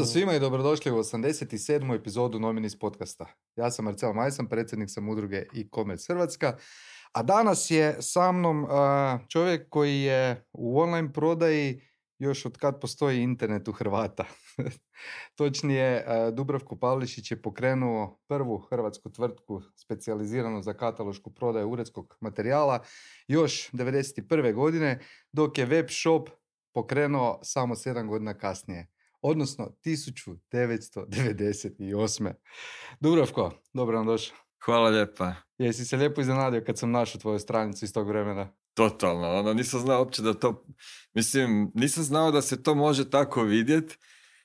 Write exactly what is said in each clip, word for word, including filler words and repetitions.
svima i dobrodošli u osamdeset sedmu epizodu Nominis podcasta. Ja sam Marcel Majsan, predsjednik sam udruge e-commerce Hrvatska, a danas je sa mnom uh, čovjek koji je u online prodaji još od kad postoji internet u Hrvata. Točnije, uh, Dubravko Pavlišić je pokrenuo prvu hrvatsku tvrtku specijaliziranu za katalošku prodaju uredskog materijala još devedeset prve godine, dok je web shop pokrenuo samo sedam godina kasnije. Odnosno tisuću devetsto devedeset osme. Dubravko, dobro nam došao. Hvala lijepa. Jesi se lijepo iznenadio kad sam našao tvoju stranicu iz tog vremena? Totalno, ono, nisam znao uopće da to, mislim, nisam znao da se to može tako vidjeti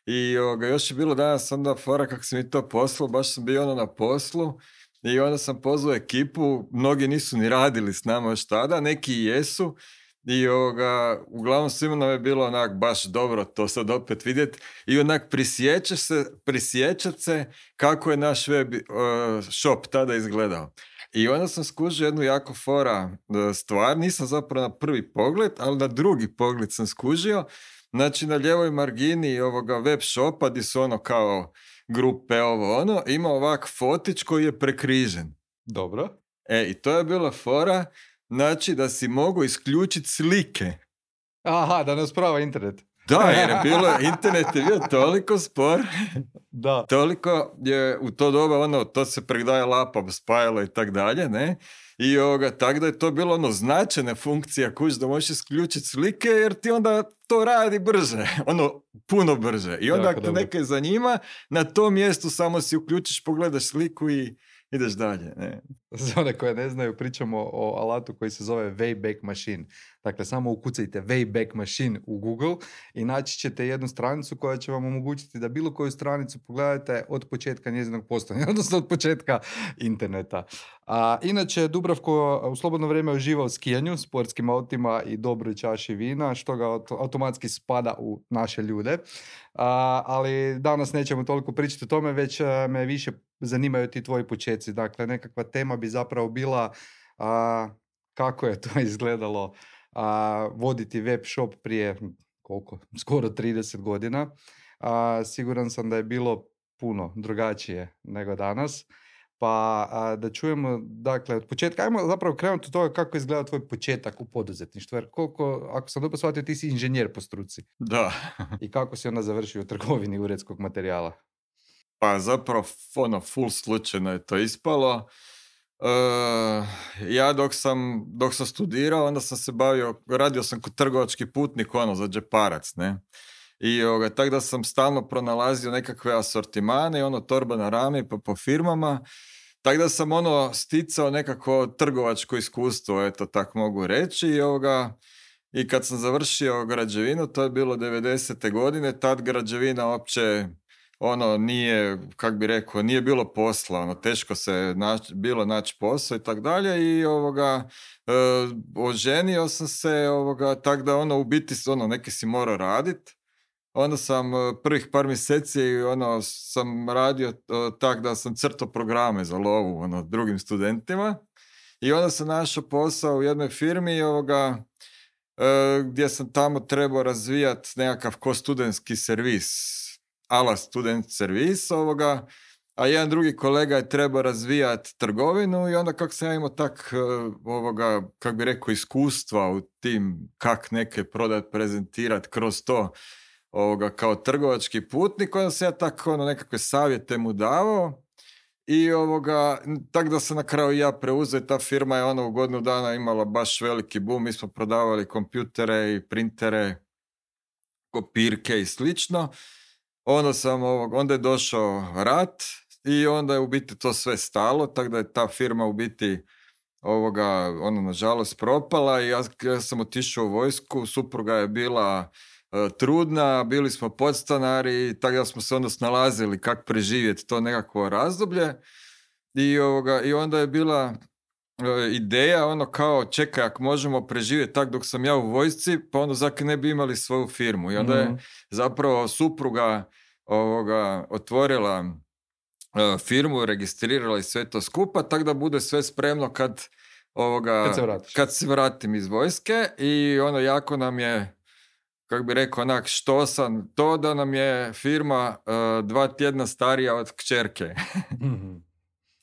i ovoga, još je bilo danas onda fora kako sam mi to poslao, baš sam bio ono na poslu i onda sam pozvao ekipu, mnogi nisu ni radili s nama još tada, neki i jesu. I ovoga, uglavnom svima nam je bilo onak baš dobro to sad opet vidjeti i onak prisjećaš se, prisjećat se kako je naš web uh, shop tada izgledao. I onda sam skužio jednu jako fora uh, stvar, nisam zapravo na prvi pogled, ali na drugi pogled sam skužio. Znači na ljevoj margini ovoga web shopa gdje su ono kao grupe ovo ono, ima ovak fotić koji je prekrižen. Dobro. E, i to je bila fora. Znači da si mogu isključiti slike. Aha, da ne usprava internet. Da, jer je bilo, internet je bio toliko spor. Da. Toliko je u to doba, ono, to se pregdaje lapa, spajalo i tak dalje, ne? I ovoga, tako da je to bilo ono značajna funkcija kuć da možeš isključiti slike, jer ti onda to radi brže, ono, puno brže. I onda ako te neke zanima, na tom mjestu samo si uključiš, pogledaš sliku i ideš dalje. Ne? Za one koje ne znaju, pričamo o alatu koji se zove Wayback Machine. Dakle, samo ukucajte Wayback Machine u Google i naći ćete jednu stranicu koja će vam omogućiti da bilo koju stranicu pogledate od početka njezinog postojanja, odnosno od početka interneta. A, inače, Dubravko u slobodno vrijeme uživa u skijanju, sportskim autima i dobroj čaši vina, što ga automatski spada u naše ljude. A, ali danas nećemo toliko pričati o tome, već a, me više zanimaju ti tvoji početci. Dakle, nekakva tema bi zapravo bila a, kako je to izgledalo a, voditi web shop prije koliko? Skoro trideset godina. A, siguran sam da je bilo puno drugačije nego danas. Pa a, da čujemo, dakle, od početka, ajmo zapravo krenuti od toga kako izgleda tvoj početak u poduzetništvu. Jer koliko, ako sam dobro shvatio, ti si inženjer po struci. Da. I kako si onda završio u trgovini uredskog materijala? Pa zapravo, ono, full slučajno je to ispalo. Uh, ja dok sam, dok sam studirao, onda sam se bavio, radio sam kod trgovački putnik, ono, za džeparac, ne. I ovoga, tako da sam stalno pronalazio nekakve asortimane i ono torba na rami pa po firmama, tako da sam ono sticao nekako trgovačko iskustvo, eto tak mogu reći. I, ovoga, i kad sam završio građevinu, to je bilo devedesete godine, tad građevina uopće ono nije, kak bi rekao, nije bilo posla, ono, teško se nač, bilo naći posao i tak dalje i ovoga, e, oženio sam se, ovoga, tak da ono u biti ono, neke si morao raditi. Onda sam prvih par mjeseci ono, sam radio tak da sam crtao programe za lovu ono, drugim studentima i onda sam našao posao u jednoj firmi ovoga, e, gdje sam tamo trebao razvijati nekakav ko studentski servis, ala student servis ovoga, a jedan drugi kolega je trebao razvijati trgovinu i onda kako sam ja imao tak ovoga, kako bi rekao, iskustva u tim kak neke prodat, prezentirati kroz to ovoga, kao trgovački putnik, onda sam ja tako ono, nekakve savjete mu davao i ovoga, tako da sam na kraju ja preuzeo, ta firma je ono u godinu dana imala baš veliki boom, mi smo prodavali kompjutere i printere, kopirke i slično. Onda, sam ovog, onda je došao rat i onda je u biti to sve stalo, tako da je ta firma u biti ovoga, ono, nažalost propala i ja, ja sam otišao u vojsku, supruga je bila uh, trudna, bili smo podstanari, tako da smo se onda snalazili kako preživjeti to nekakvo razdoblje i, ovoga, i onda je bila uh, ideja ono kao čekaj, ako možemo preživjeti tak dok sam ja u vojsci, pa onda zakaj ne bi imali svoju firmu i onda je zapravo supruga ovoga, otvorila uh, firmu, registrirala i sve to skupa, tako da bude sve spremno kad, ovoga, kad, se kad se vratim iz vojske i ono jako nam je kako bi rekao, onak štosan, to da nam je firma uh, dva tjedna starija od kćerke.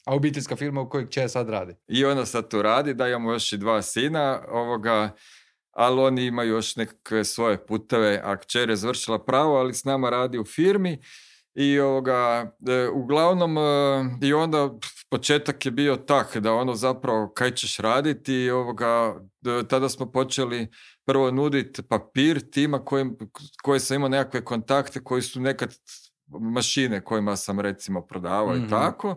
A obiteljska firma u kojoj kćer sad radi? I ona sad tu radi, da imamo još i dva sina, ovoga, ali oni imaju još nekakve svoje puteve, a kćer je završila pravo, ali s nama radi u firmi. I ovoga, e, uglavnom, e, i onda početak je bio tak da ono zapravo kaj ćeš raditi i ovoga, e, tada smo počeli prvo nuditi papir tima koji, koji sam imao nekakve kontakte koji su nekad mašine kojima sam recimo prodavao mm-hmm. i tako.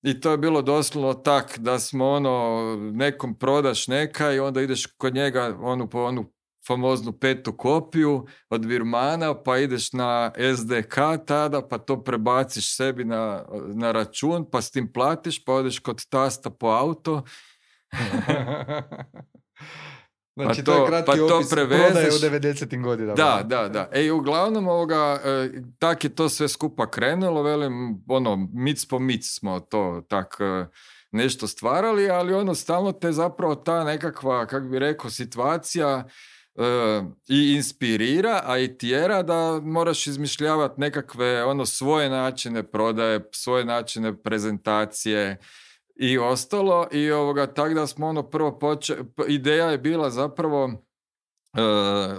I to je bilo doslovno tak da smo ono, nekom prodaš neka i onda ideš kod njega onu po onu famoznu petu kopiju od virmana, pa ideš na es de ka tada, pa to prebaciš sebi na, na račun, pa s tim platiš, pa odeš kod tasta po auto. Znači, pa to, to je kratki pa opis prodaje u devedesetim godinama. Da, da, da. E, uglavnom, ovoga, e, tak je to sve skupa krenulo, velim, ono, mic po mic smo to tak e, nešto stvarali, ali ono, stalno te zapravo ta nekakva, kak bi rekao, situacija e, i inspirira, a i tjera da moraš izmišljavati nekakve, ono, svoje načine prodaje, svoje načine prezentacije, i ostalo, i ovoga, tak da smo ono prvo počeli, ideja je bila zapravo uh,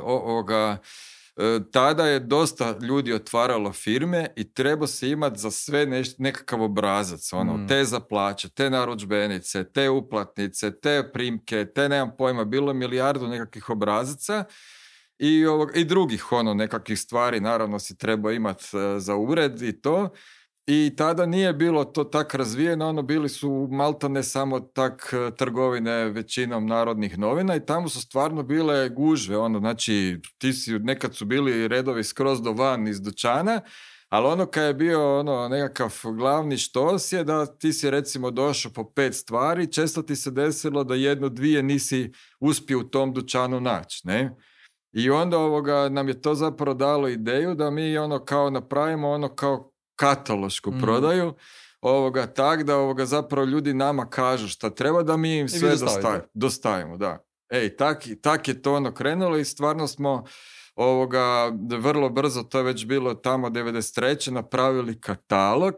ovoga, uh, tada je dosta ljudi otvaralo firme i treba se imati za sve neš, nekakav obrazac, ono, mm. te za plaće, te narudžbenice, te uplatnice, te primke, te nemam pojma, bilo je milijardu nekakvih obrazaca i, ovoga, i drugih ono nekakvih stvari, naravno si treba imati uh, za ured i to. I tada nije bilo to tak razvijeno, ono bili su maltene samo tak trgovine većinom narodnih novina i tamo su stvarno bile gužve, ono, znači ti si, nekad su bili redovi skroz do van iz dućana, ali ono kad je bio ono nekakav glavni štos je da ti si recimo došao po pet stvari, često ti se desilo da jedno, dvije nisi uspio u tom dućanu naći, ne? I onda ovoga, nam je to zapravo dalo ideju da mi ono kao napravimo ono kao katalošku mm. prodaju, ovoga, tak da ovoga zapravo ljudi nama kažu šta treba da mi im sve dostavimo. dostavimo da. Ej, tak, tak je to ono krenulo i stvarno smo ovoga, vrlo brzo, to je već bilo tamo devedeset treće napravili katalog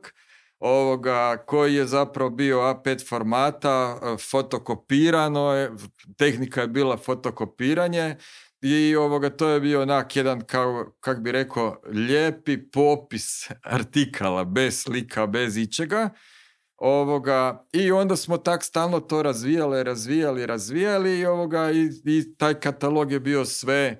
ovoga, koji je zapravo bio a pet formata, fotokopirano je, tehnika je bila fotokopiranje, i ovoga, to je bio onak jedan, kao, kak bi rekao, lijepi popis artikala, bez slika, bez ičega. Ovoga, i onda smo tak stalno to razvijali, razvijali, razvijali i, ovoga, i, i taj katalog je bio sve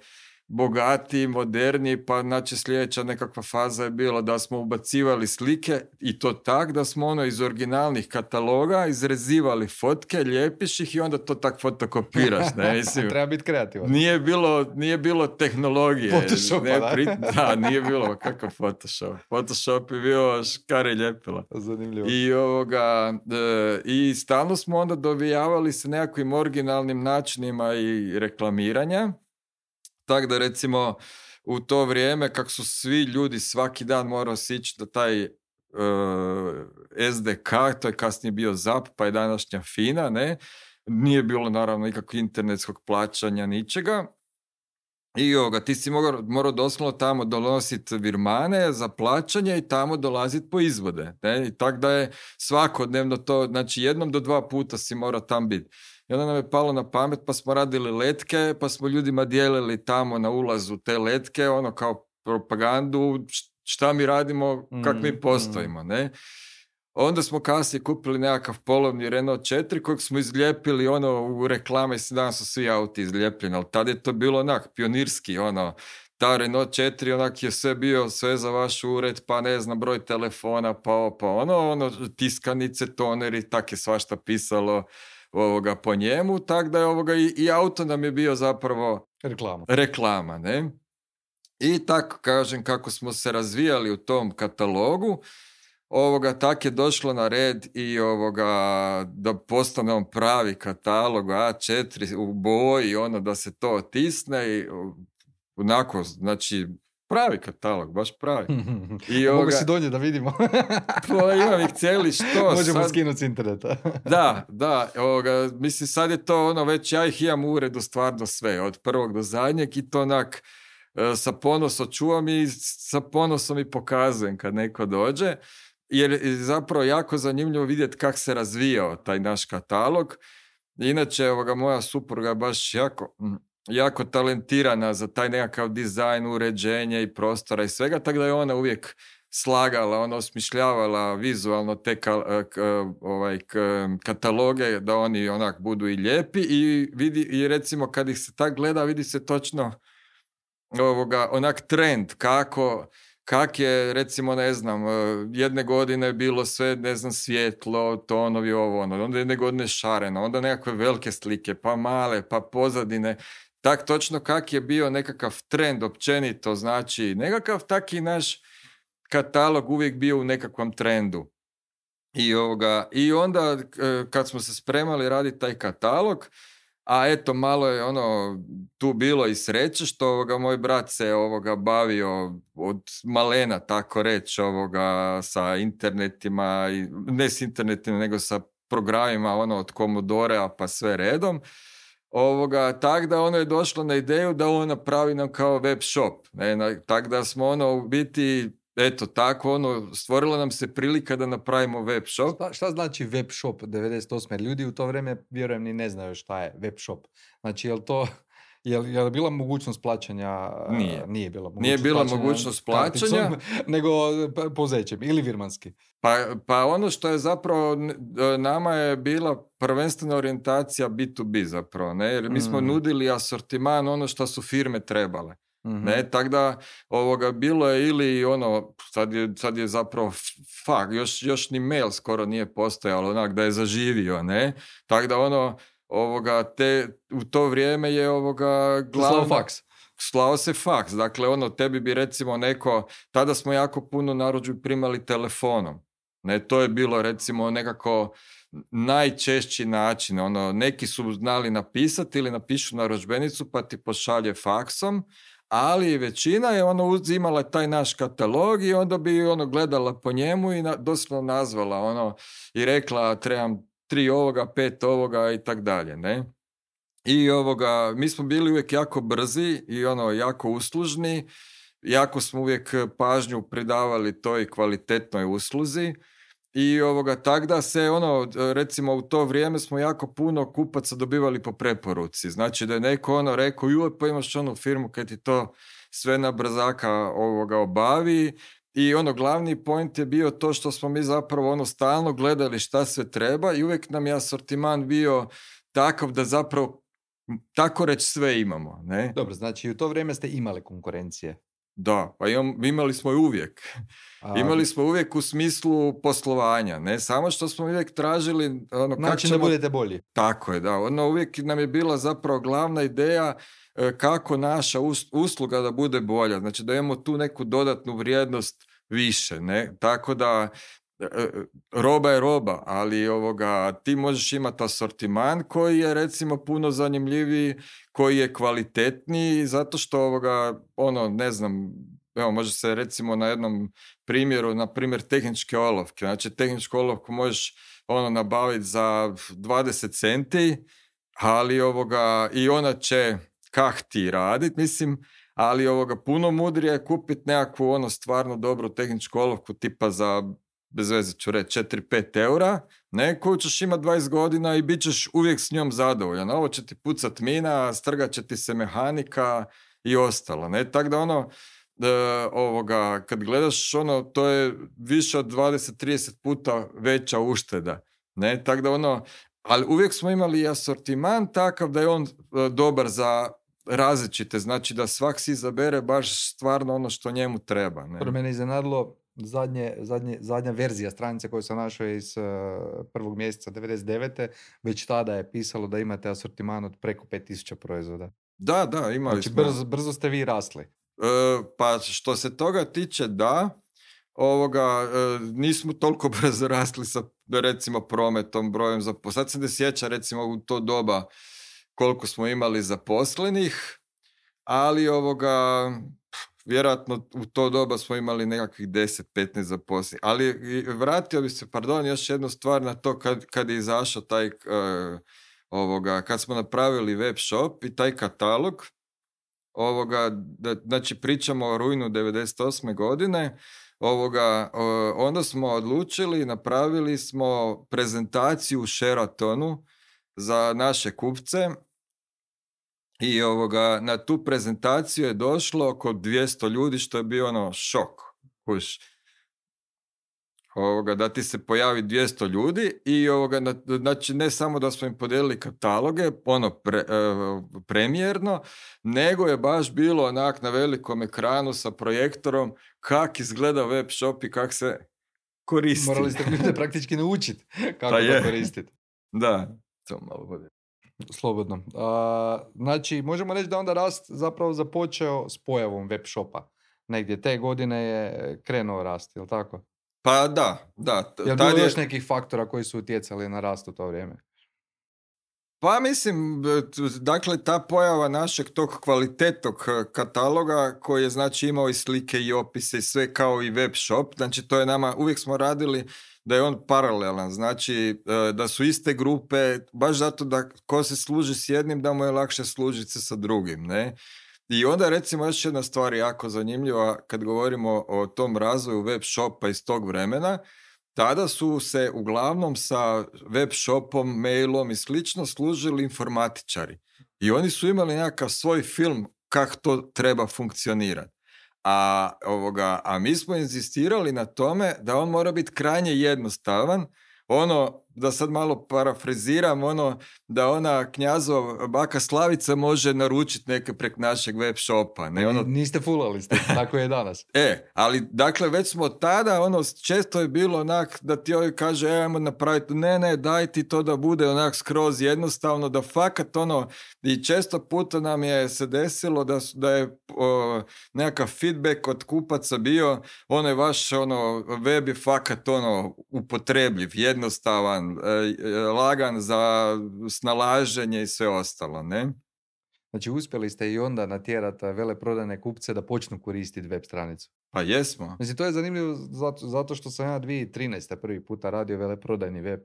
bogatiji, moderniji, pa znači sljedeća nekakva faza je bila da smo ubacivali slike i to tak da smo ono iz originalnih kataloga izrezivali fotke, lijepiš ih i onda to tak fotokopiraš. Ne? Mislim, treba biti kreativan. Nije bilo, nije bilo tehnologije. Photoshopa, ne, da? Pri, da, nije bilo kakav Photoshop. Photoshop je bio škare ljepila. Zanimljivo. I, ovoga, e, i stalno smo onda dovijavali se nekakvim originalnim načinima i reklamiranja. Tako da recimo u to vrijeme kako su svi ljudi svaki dan morao sići da taj uh, es de ka, to je kasnije bio zap, pa je današnja Fina, ne? Nije bilo naravno nikakvog internetskog plaćanja, ničega. I ovoga, ti si morao, morao doslovno tamo donositi virmane za plaćanje i tamo dolaziti po izvode. Ne? I tako da je svakodnevno to, znači jednom do dva puta si morao tam biti. I onda nam je palo na pamet, pa smo radili letke, pa smo ljudima dijelili tamo na ulazu te letke, ono kao propagandu, šta mi radimo, kak mi postojimo, ne? Onda smo kasnije kupili nekakav polovni Renault četiri kojeg smo izlijepili ono u reklame, danas su svi auti izlijepljeni, ali tada je to bilo onak pionirski, ono, ta Renault četiri onak je sve bio, sve za vaš ured, pa ne znam, broj telefona, pa pa ono, ono, tiskanice, toneri, tak je svašta pisalo ovoga po njemu, tak da je ovoga i, i auto nam je bio zapravo reklama. reklama, ne? I tako kažem, kako smo se razvijali u tom katalogu, ovoga, tak je došlo na red i ovoga, da postane on pravi katalog a četiri u boji, ono da se to otisne i onako, znači pravi katalog, baš pravi. I ovoga, mogu si donje da vidimo. Pa imam ih cijeli što. Možemo sad skinuti s interneta. Da, da, ovoga, mislim sad je to ono, već ja ih imam u uredu stvarno sve, od prvog do zadnjeg i to onak, sa ponosom čuvam i sa ponosom i pokazujem kad neko dođe, jer je zapravo jako zanimljivo vidjeti kako se razvijao taj naš katalog. Inače, ovoga, moja supruga je baš jako, jako talentirana za taj nekakav dizajn, uređenje i prostora i svega, tako da je ona uvijek slagala, ona osmišljavala vizualno te ka, k, ovaj, k, kataloge da oni onak budu i lijepi i, vidi, i recimo kad ih se tak gleda vidi se točno ovoga, onak trend kako kak je recimo ne znam jedne godine bilo sve ne znam svjetlo, tonovi ovo ono, onda jedne godine šareno, onda nekakve velike slike, pa male, pa pozadine. Tak točno kak je bio nekakav trend općenito, znači nekakav taki naš katalog uvijek bio u nekakvom trendu. I, ovoga, i onda kad smo se spremali raditi taj katalog, a eto malo je ono tu bilo i sreće što ovoga, moj brat se ovoga bavio od malena tako reći ovoga sa internetima, ne s internetima nego sa programima ono od Commodore-a pa sve redom. Ovoga, tak da ono je došlo na ideju da on napravi nam kao web shop. Ne, tak da smo ono u biti, eto tako, ono, stvorila nam se prilika da napravimo web shop. Šta, šta znači web shop devedeset osme? Ljudi u to vrijeme, vjerujem, ni ne znaju šta je web shop. Znači, je li to... Je li, je li bila mogućnost plaćanja? Nije. Nije bila mogućnost Nije bila plaćanja mogućnost plaćanja. Karticom, nego pozećem ili virmanski. Pa, pa ono što je zapravo, nama je bila prvenstvena orijentacija bi to bi zapravo, ne? Jer mi smo mm. nudili asortiman ono što su firme trebale. Mm-hmm. Ne, tako da ovoga bilo je ili ono, sad je, sad je zapravo fak, još, još ni mail skoro nije postojalo, onak da je zaživio, ne? Tako da ono, ovoga, te, u to vrijeme je ovoga glavno... Slao faks. Slao se faks, dakle ono, tebi bi recimo neko, tada smo jako puno narudžbi primali telefonom, ne, to je bilo recimo nekako najčešći način, ono, neki su znali napisati ili napišu narudžbenicu pa ti pošalje faksom, ali većina je ono uzimala taj naš katalog i onda bi ono gledala po njemu i na, doslovno nazvala ono i rekla trebam tri ovoga, pet ovoga i tak dalje, ne? I ovoga, mi smo bili uvijek jako brzi i ono jako uslužni, jako smo uvijek pažnju pridavali toj kvalitetnoj usluzi i ovoga, tak da se ono, recimo u to vrijeme smo jako puno kupaca dobivali po preporuci, znači da je neko ono rekao, joj pa imaš onu firmu kad ti to sve na brzaka ovoga obavi. I ono, glavni point je bio to što smo mi zapravo ono stalno gledali šta sve treba i uvijek nam je asortiman bio takav da zapravo tako reći sve imamo, ne? Dobro, znači u to vrijeme ste imali konkurencije. Da, pa imam, imali smo i uvijek. A... Imali smo uvijek u smislu poslovanja, ne? Samo što smo uvijek tražili... Ono, znači ćemo... da budete bolji. Tako je, da. Ono, uvijek nam je bila zapravo glavna ideja kako naša usluga da bude bolja. Znači da imamo tu neku dodatnu vrijednost više, ne? Tako da roba je roba, ali ovoga, ti možeš imati asortiman koji je recimo puno zanimljiviji, koji je kvalitetniji, zato što ovoga, ono, ne znam, evo, može se recimo na jednom primjeru, na primjer tehničke olovke, znači tehničku olovku možeš ono nabaviti za dvadeset centi, ali ovoga, i ona će kak ti raditi, mislim, ali ovoga puno mudrije je kupiti nekakvu ono stvarno dobru tehničku olovku tipa za, bez veze ću reći, četiri do pet eura, ne, koju ćeš imati dvadeset godina i bit ćeš uvijek s njom zadovoljan. Ovo će ti pucat mina, strgat će ti se mehanika i ostalo, ne, tako da ono, e, ovoga, kad gledaš ono, to je više od dvadeset do trideset puta veća ušteda, ne, tako da ono, ali uvijek smo imali i asortiman takav da je on e, dobar za različite, znači da svak si izabere baš stvarno ono što njemu treba. Ne? Prvo mene iznenadilo zadnje, zadnje, zadnja verzija stranice koju sam našao iz uh, prvog mjeseca devedeset devete. Već tada je pisalo da imate asortiman od preko pet tisuća proizvoda. Da, da, imali znači, smo. Brzo, brzo ste vi rasli. E, pa što se toga tiče, da, ovoga, e, nismo toliko brzo rasli sa recimo prometom, brojem zaposlenih. Sad se ne sjeća recimo u to doba koliko smo imali zaposlenih, ali ovoga, vjerojatno u to doba smo imali nekakvih deset do petnaest zaposlenih. Ali vratio bi se, pardon, još jednu stvar na to kad, kad je izašao taj, uh, ovoga, kad smo napravili web shop i taj katalog, ovoga, da, znači pričamo o rujnu devedeset osme godine, ovoga, o, onda smo odlučili, napravili smo prezentaciju u Sheratonu za naše kupce i ovoga, na tu prezentaciju je došlo oko dvjesto ljudi, što je bio ono šok. Kuš. Ovoga, da ti se pojavi dvjesto ljudi i ovoga, znači ne samo da smo im podijelili kataloge, ono pre, e, premijerno, nego je baš bilo onak na velikom ekranu sa projektorom kak izgleda web shop i kak se koristi. Morali ste ljude praktički naučiti kako Pa to koristiti. Da, to malo bude. Slobodno. A, znači, možemo reći da onda rast zapravo započeo s pojavom web shopa. Negdje te godine je krenuo rast, je li tako? Pa da, da. Je li bilo još nekih faktora koji su utjecali na rast u to vrijeme? Pa mislim, dakle, ta pojava našeg tog kvalitetnog kataloga koji je znači imao i slike i opise i sve kao i web shop, znači to je nama, uvijek smo radili da je on paralelan, znači da su iste grupe, baš zato da ko se služi s jednim da mu je lakše služiti se sa drugim, ne? I onda recimo još jedna stvar jako zanimljiva kad govorimo o tom razvoju web shopa iz tog vremena, tada su se uglavnom sa web shopom, mailom i slično služili informatičari. I oni su imali nekakav svoj film kako to treba funkcionirati. A, ovoga, a mi smo inzistirali na tome da on mora biti krajnje jednostavan, ono, da sad malo parafraziram, ono, da ona Knjazov baka Slavica može naručiti neke prek našeg web shopa. Ne, ono... Niste fulali ste, tako je danas. E, ali dakle već smo tada, ono, često je bilo onak da ti ovaj kaže, e, ajmo napraviti, ne, ne, daj ti to da bude onak skroz jednostavno, da fakat ono, i često puta nam je se desilo da, da je o, nekakav feedback od kupaca bio, ono je vaš, ono, web je fakat ono, upotrebljiv, jednostavan, lagan za snalaženje i sve ostalo, ne? Znači, uspjeli ste i onda natjerati veleprodajne kupce da počnu koristiti web stranicu. Pa jesmo. Mislim, to je zanimljivo zato, zato što sam ja dvije tisuće trinaeste prvi puta radio veleprodajni web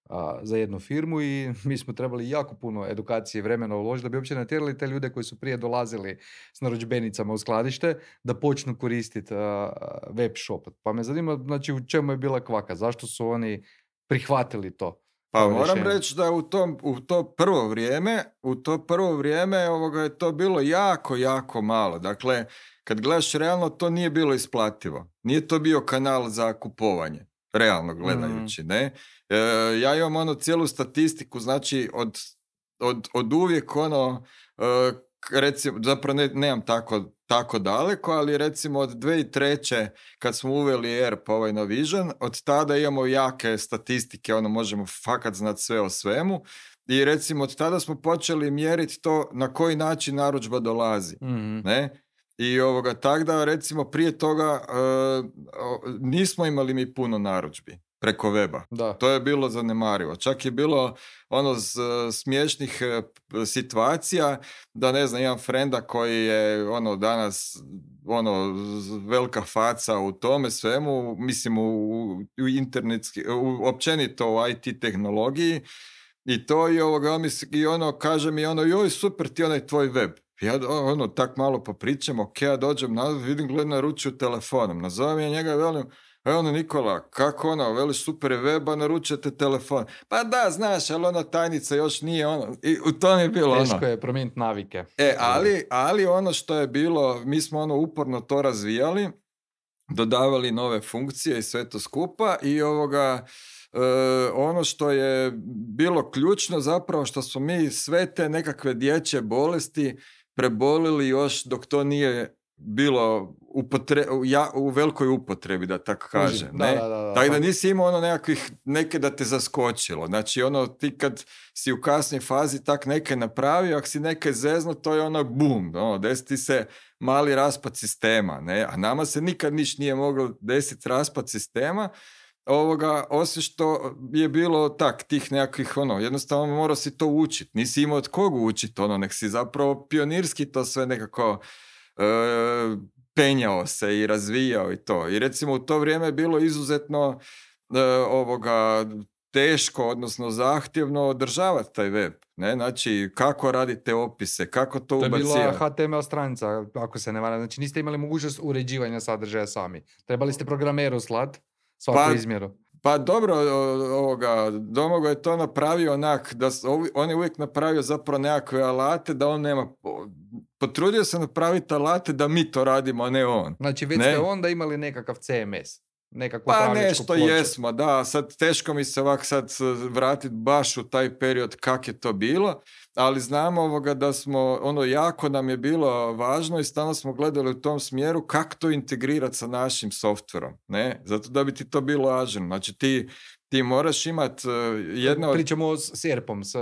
a, za jednu firmu i mi smo trebali jako puno edukacije i vremena uložiti da bi uopće natjerali te ljude koji su prije dolazili s narudžbenicama u skladište da počnu koristiti a, web shop. Pa me zanima, znači, u čemu je bila kvaka? Zašto su oni prihvatili to? Pa moram reći da u, tom, u to prvo vrijeme, u to prvo vrijeme ovoga je to bilo jako, jako malo. Dakle, kad gledaš realno, to nije bilo isplativo. Nije to bio kanal za kupovanje, realno gledajući, mm. ne? E, ja imam ono cijelu statistiku, znači od, od, od uvijek ono, e, recimo, zapravo ne, nemam tako, tako daleko, ali recimo od dvije tisuće treće kad smo uveli E R P, ovaj Navision, od tada imamo jake statistike, ono možemo fakat znati sve o svemu i recimo od tada smo počeli mjeriti to na koji način narudžba dolazi, mm-hmm. ne? I ovoga, tak da recimo prije toga uh, nismo imali mi puno narudžbi preko weba. Da. To je bilo zanemarivo. Čak je bilo ono z, smiješnih uh, situacija da ne znam, imam frenda koji je ono danas ono velika faca u tome svemu, mislim u, u internetski, u, općenito u I T tehnologiji i to i ovoga, on mi, i ono kaže mi ono, joj super ti onaj tvoj web. Ja ono, tak malo popričam, ok, ja dođem nazad, vidim, gledam naručuju telefonom, nazovem ja njega i velim, e ono Nikola, kako ono, veliš super je web, a naručujete telefon. Pa da, znaš, ali ona tajnica još nije ono, i u tom je bilo ono. Teško je promijeniti navike. E, ali, ali ono što je bilo, mi smo ono uporno to razvijali, dodavali nove funkcije i sve to skupa i ovoga... Uh, ono što je bilo ključno zapravo što smo mi sve te nekakve dječje bolesti prebolili još dok to nije bilo upotre, ja, u velikoj upotrebi, da tako kažem. Da, ne? Da, da, da, tako da nisi imao ono nekakvih, neke da te zaskočilo. Znači ono ti kad si u kasnoj fazi tak neke napravio, ako si neke zezno, to je ono bum, ono, desi se mali raspad sistema. Ne? A nama se nikad niš nije moglo desiti raspad sistema, ovoga, osim što je bilo tak, tih nekakvih, ono, jednostavno morao si to učiti, nisi imao od koga učiti, ono, nek si zapravo pionirski to sve nekako e, penjao se i razvijao i to. I recimo u to vrijeme je bilo izuzetno e, ovoga, teško, odnosno zahtjevno održavati taj web. Ne? Znači, kako radite opise, kako to ubacivati. To je bila H T M L stranica, ako se ne varam. Znači, niste imali mogućnost uređivanja sadržaja sami. Trebali ste programeru slat svaku pa, izmjeru. Pa dobro, ovoga, Domagoj je to napravio onak, da on je uvijek napravio zapravo nekakve alate, da on nema... Potrudio se napraviti alate da mi to radimo, a ne on. Znači, već ne? ste onda imali nekakav C M S. Pa nešto ploču. Jesmo, da, sad teško mi se ovak sad vratiti baš u taj period kak je to bilo, ali znamo ovoga da smo, ono jako nam je bilo važno i stalno smo gledali u tom smjeru kako to integrirati sa našim softverom, ne, zato da bi ti to bilo ažurno, znači ti Ti moraš imati uh, jedno... Pričamo s S E R P-om, s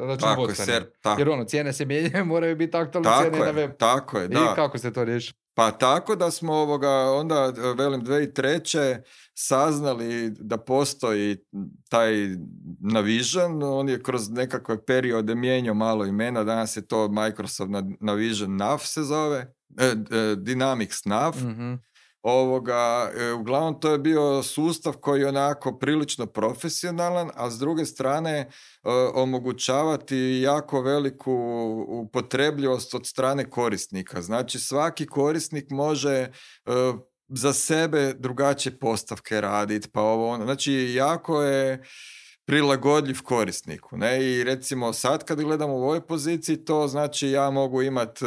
računovodstvenim. Jer ono, cijene se mijenjaju, moraju biti aktualne cijene je, na web. Tako je, I da. I kako ste to riješili? Pa tako da smo ovoga, onda, velim, dvije tisuće treće saznali da postoji taj Navision, on je kroz nekakve periode mijenjao malo imena, danas je to Microsoft Navision Nav se zove, eh, eh, Dynamics Nav. Mm-hmm. Ovoga, uglavnom to je bio sustav koji je onako prilično profesionalan, a s druge strane e, omogućavati jako veliku upotrebljivost od strane korisnika. Znači svaki korisnik može e, za sebe drugačije postavke raditi, pa ovo ono. Znači jako je prilagodljiv korisniku. Ne? I recimo sad kad gledamo u ovoj poziciji, to znači ja mogu imati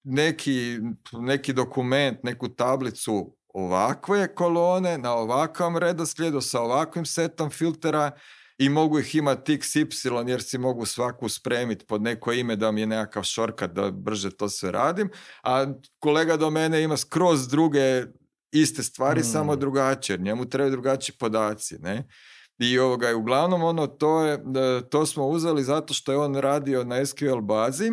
Neki, neki dokument, neku tablicu ovakve kolone na ovakvom redoslijedu sa ovakvim setom filtera i mogu ih imati iks ipsilon jer si mogu svaku spremiti pod neko ime da mi je nekakav shortcut da brže to sve radim, a kolega do mene ima skroz druge iste stvari, mm. samo drugačije, jer njemu trebaju drugačiji podaci, ne? I ovoga, uglavnom ono, to, je, to smo uzeli zato što je on radio na es kju el bazi,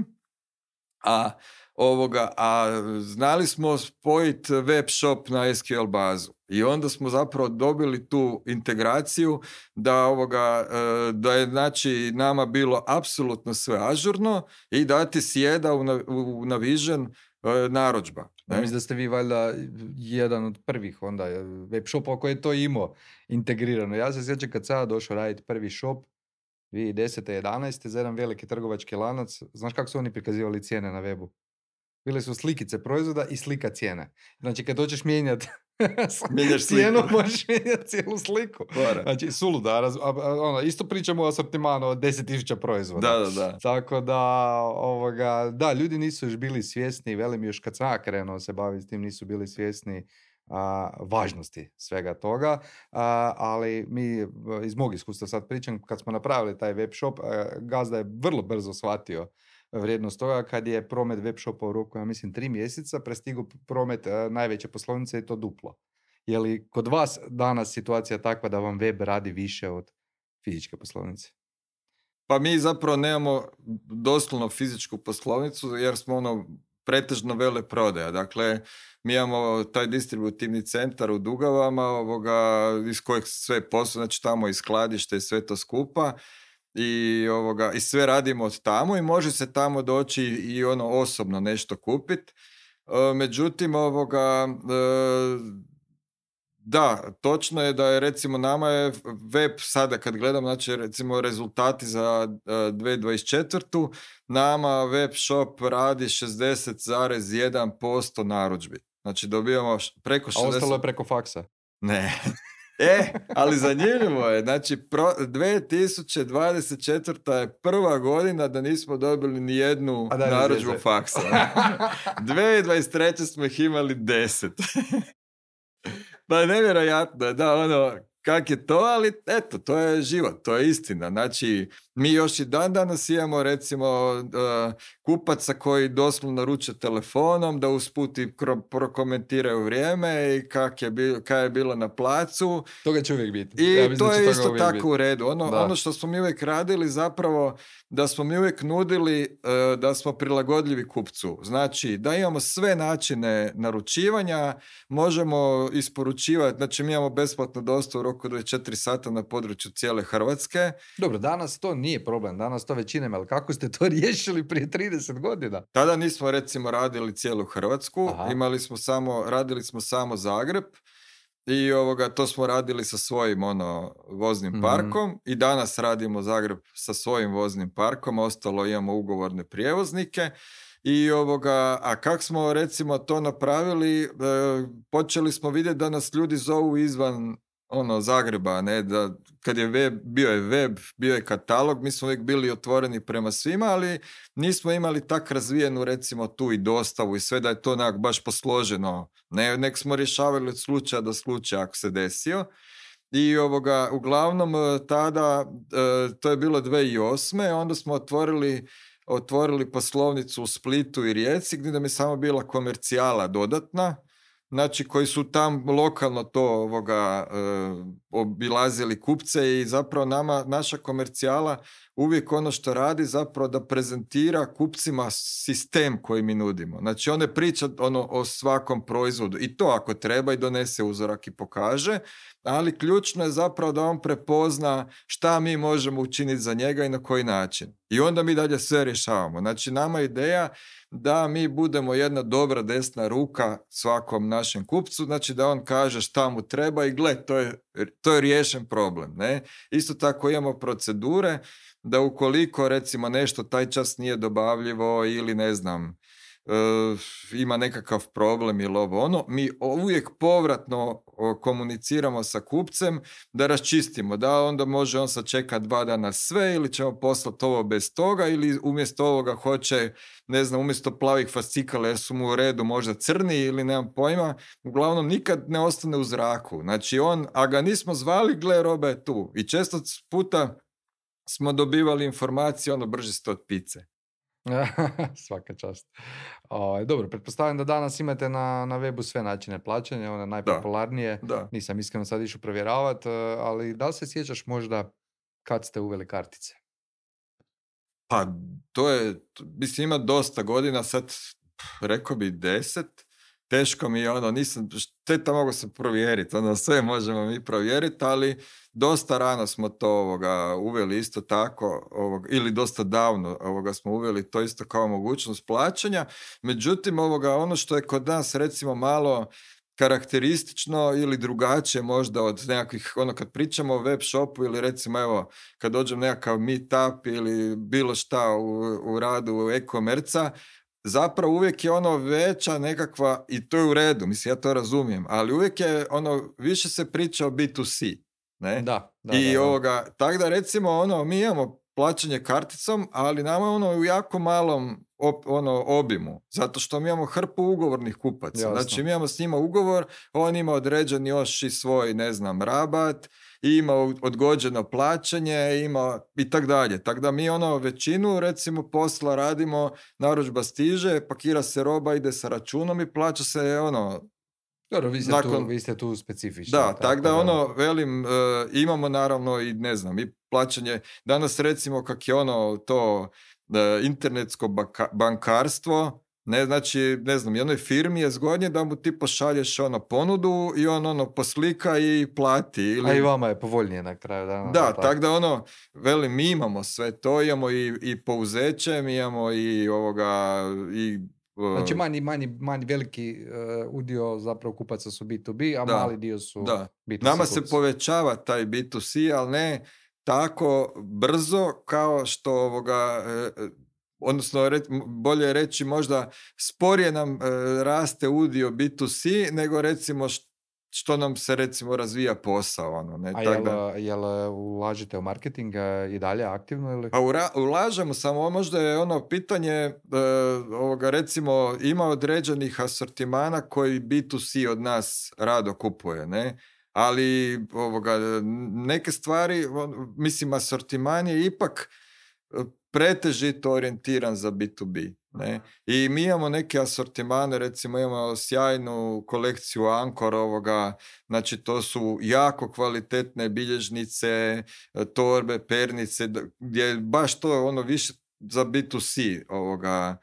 a Ovoga, a znali smo spojiti web shop na es kju el bazu i onda smo zapravo dobili tu integraciju da, ovoga, da je znači nama bilo apsolutno sve ažurno i da ti sjeda u, u Navision narudžba. Ja mislim da ste vi valjda jedan od prvih onda web shopova koji je to imao integrirano. Ja se sjećam kad sam došao raditi prvi shop dvije tisuće desete jedanaeste za jedan veliki trgovački lanac. Znaš kako su oni prikazivali cijene na webu? Bile su slikice proizvoda i slika cijene. Znači, kad hoćeš mijenjati cijenu, možeš mijenjati cijelu sliku. Bora. Znači, suluda. Raz, a, a, ono, isto pričamo o asortimanu od deset tisuća proizvoda. Da, da, da. Tako da, ovoga, da, ljudi nisu još bili svjesni, velim još kad sam krenuo se baviti s tim, nisu bili svjesni a, važnosti svega toga. A, ali mi, iz mog iskustva sad pričam, kad smo napravili taj web shop, a, gazda je vrlo brzo shvatio vrijednost toga kad je promet web shopa u roku, ja mislim, tri mjeseca prestigao promet uh, najveće poslovnice i to duplo. Je li kod vas danas situacija takva da vam web radi više od fizičke poslovnice? Pa mi zapravo nemamo doslovno fizičku poslovnicu jer smo ono pretežno veleprodaja. Dakle, mi imamo taj distributivni centar u Dugavama ovoga, iz kojeg sve posluje, znači tamo i skladište i sve to skupa. I, ovoga, i sve radimo od tamo i može se tamo doći i ono osobno nešto kupiti. E, međutim, ovoga, e, da, točno je da je recimo nama je web sada kad gledam, znači recimo rezultati za e, dvije tisuće dvadeset četvrtu nama web shop radi šezdeset zarez jedan posto narudžbi. Znači dobijamo preko šezdeset... A ostalo je preko faksa? Ne. E, ali zanimljivo je, znači pro, dvije tisuće dvadeset četvrta je prva godina da nismo dobili ni jednu narudžbu faksa. dvije tisuće dvadeset treće smo ih imali deset. Pa nevjerojatno, da, ono, kak je to, ali eto, to je život, to je istina. Znači, mi još i dan danas imamo, recimo, uh, kupaca koji doslovno naruče telefonom, da usput i prokomentiraju vrijeme i kak je, bil, kak je bilo na placu. Toga će uvijek biti. I ja to je isto tako biti u redu. Ono, ono što smo mi uvijek radili zapravo, da smo mi uvijek nudili uh, da smo prilagodljivi kupcu. Znači, da imamo sve načine naručivanja, možemo isporučivati, znači mi imamo besplatnu dostavu u roku dvadeset četiri sata na području cijele Hrvatske. Dobro, danas to nije problem, danas to većina ima, ali kako ste to riješili prije trideset godina? Tada nismo recimo radili cijelu Hrvatsku, Aha. imali smo samo, radili smo samo Zagreb i ovoga, to smo radili sa svojim ono, voznim Mhm. parkom i danas radimo Zagreb sa svojim voznim parkom, ostalo imamo ugovorne prijevoznike. I ovoga, a kak smo recimo to napravili, e, počeli smo vidjeti da nas ljudi zovu izvan ono Zagreba, ne, da kad je web, bio je web, bio je katalog, mi smo uvijek bili otvoreni prema svima, ali nismo imali tak razvijenu recimo tu i dostavu i sve da je to onak baš posloženo, ne, nek smo rješavali od slučaja do slučaja ako se desio. I ovoga, uglavnom tada, e, to je bilo dvije tisuće osme, onda smo otvorili otvorili poslovnicu u Splitu i Rijeci gdje nam je samo bila komercijala dodatna, znači koji su tam lokalno to ovoga, e, obilazili kupce i zapravo nama, naša komercijala uvijek ono što radi zapravo da prezentira kupcima sistem koji mi nudimo. Znači on ne priča ono, o svakom proizvodu i to ako treba i donese uzorak i pokaže, ali ključno je zapravo da on prepozna šta mi možemo učiniti za njega i na koji način. I onda mi dalje sve rješavamo. Znači nama je ideja da mi budemo jedna dobra desna ruka svakom našem kupcu, znači da on kaže šta mu treba i gle, to je, to je riješen problem. Ne? Isto tako imamo procedure da ukoliko recimo nešto taj čas nije dobavljivo ili ne znam, Uh, ima nekakav problem ili ovo ono, mi uvijek povratno komuniciramo sa kupcem da raščistimo, da onda može on sačekati dva dana sve ili ćemo poslati ovo bez toga ili umjesto ovoga hoće, ne znam, umjesto plavih fascikala jer su mu u redu možda crni ili nemam pojma, uglavnom nikad ne ostane u zraku. Znači on, a ga nismo zvali, gle, roba je tu. I često puta smo dobivali informacije, ono, brže ste od pice. Svaka čast. O, dobro, pretpostavljam da danas imate na, na webu sve načine plaćanja, one najpopularnije. Da, da. Nisam iskreno sad išao provjeravati, ali da li se sjećaš možda kad ste uveli kartice? Pa, to je, mislim, ima dosta godina, sad rekao bi deset, teško mi je, ono, nisam, šteta mogu se provjeriti, ono, sve možemo mi provjeriti, ali dosta rano smo to ovoga, uveli isto tako, ovoga, ili dosta davno ovoga, smo uveli to isto kao mogućnost plaćanja, međutim, ovoga, ono što je kod nas recimo malo karakteristično ili drugačije možda od nekakvih, ono kad pričamo o web shopu ili recimo evo kad dođem nekakav meetup ili bilo šta u, u radu e-komerca, zapravo uvijek je ono veća nekakva, i to je u redu, mislim ja to razumijem, ali uvijek je ono, više se priča o B to C, ne? Da, da, I da, da. ovoga, tako da recimo ono, mi imamo plaćanje karticom, ali nama ono u jako malom op, ono, obimu, zato što mi imamo hrpu ugovornih kupaca. Jasno. Znači mi imamo s njima ugovor, on ima određen još i svoj, ne znam, rabat, ima odgođeno plaćanje, ima i tak dalje. Tako da mi ono većinu recimo posla radimo, narudžba stiže, pakira se roba, ide sa računom i plaća se ono... Dobro, vi ste, nakon... tu, vi ste tu specifični. Da, tako, tako da, da ono, velim, uh, imamo naravno i ne znam, i plaćanje, danas recimo kak je ono to uh, internetsko baka, bankarstvo, ne, znači, ne znam, jednoj firmi je zgodnije da mu ti pošalješ ono ponudu i on ono poslika i plati. Ili... A i vama je povoljnije na kraju dana. Da, tako tak da ono, velim, mi imamo sve to, imamo i, i pouzeće, mi imamo i ovoga, i znači manji, manji, manji veliki uh, udio zapravo kupaca su B to B, a da, mali dio su da. B to C. Nama kupci. se povećava taj B to C, ali ne tako brzo kao što ovoga, eh, odnosno re, bolje reći možda sporije nam eh, raste udio B to C nego recimo što što nam se recimo razvija posao. Ono, ne? A jel, da... jel ulažete u marketing i dalje aktivno? Ili? Pa ura, ulažemo, samo možda je ono pitanje e, ovoga, recimo ima određenih asortimana koji B to C od nas rado kupuje, ne? Ali ovoga, neke stvari, on, mislim asortiman je ipak pretežito orijentiran za B to B. Ne? I mi imamo neke asortimane, recimo imamo sjajnu kolekciju Ankor ovoga, znači to su jako kvalitetne bilježnice, torbe, pernice, gdje je baš to ono više za B to C ovoga,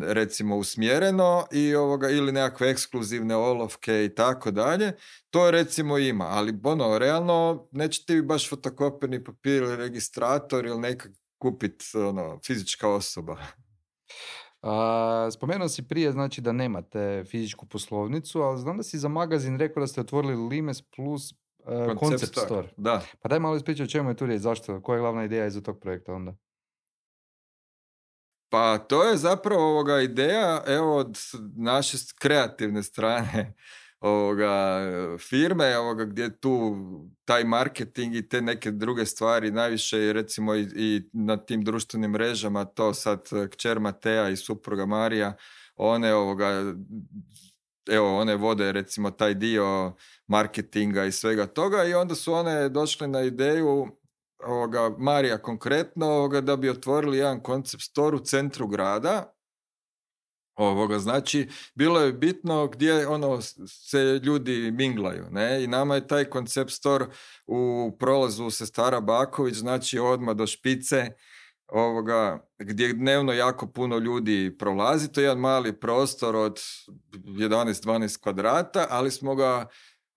recimo usmjereno i ovoga, ili nekakve ekskluzivne olovke i tako dalje, to recimo ima, ali ono, realno neće ti baš fotokopirni papir ili registrator ili nekak kupiti ono, fizička osoba. A, spomenuo si prije, znači da nemate fizičku poslovnicu, ali znam da si za magazin rekao da ste otvorili Limes plus uh, Concept Concept Store, Store. da. Pa daj malo ispričaj o čemu je tu riječ, zašto, koja je glavna ideja iza tog projekta onda? Pa to je zapravo ovoga ideja, evo, od naše kreativne strane ovoga firme, ovoga gdje tu taj marketing i te neke druge stvari najviše recimo i, i na tim društvenim mrežama, to sad kćer Matea i supruga Marija, one ovoga evo, one vode recimo taj dio marketinga i svega toga i onda su one došle na ideju, ovoga, Marija konkretno, ovoga, da bi otvorili jedan concept store u centru grada. Ovoga, znači, bilo je bitno gdje ono se ljudi minglaju, ne? I nama je taj concept store u prolazu Sestara Baković, znači odmah do Špice, ovoga, gdje dnevno jako puno ljudi prolazi. To je jedan mali prostor od jedanaest dvanaest kvadrata, ali smo ga,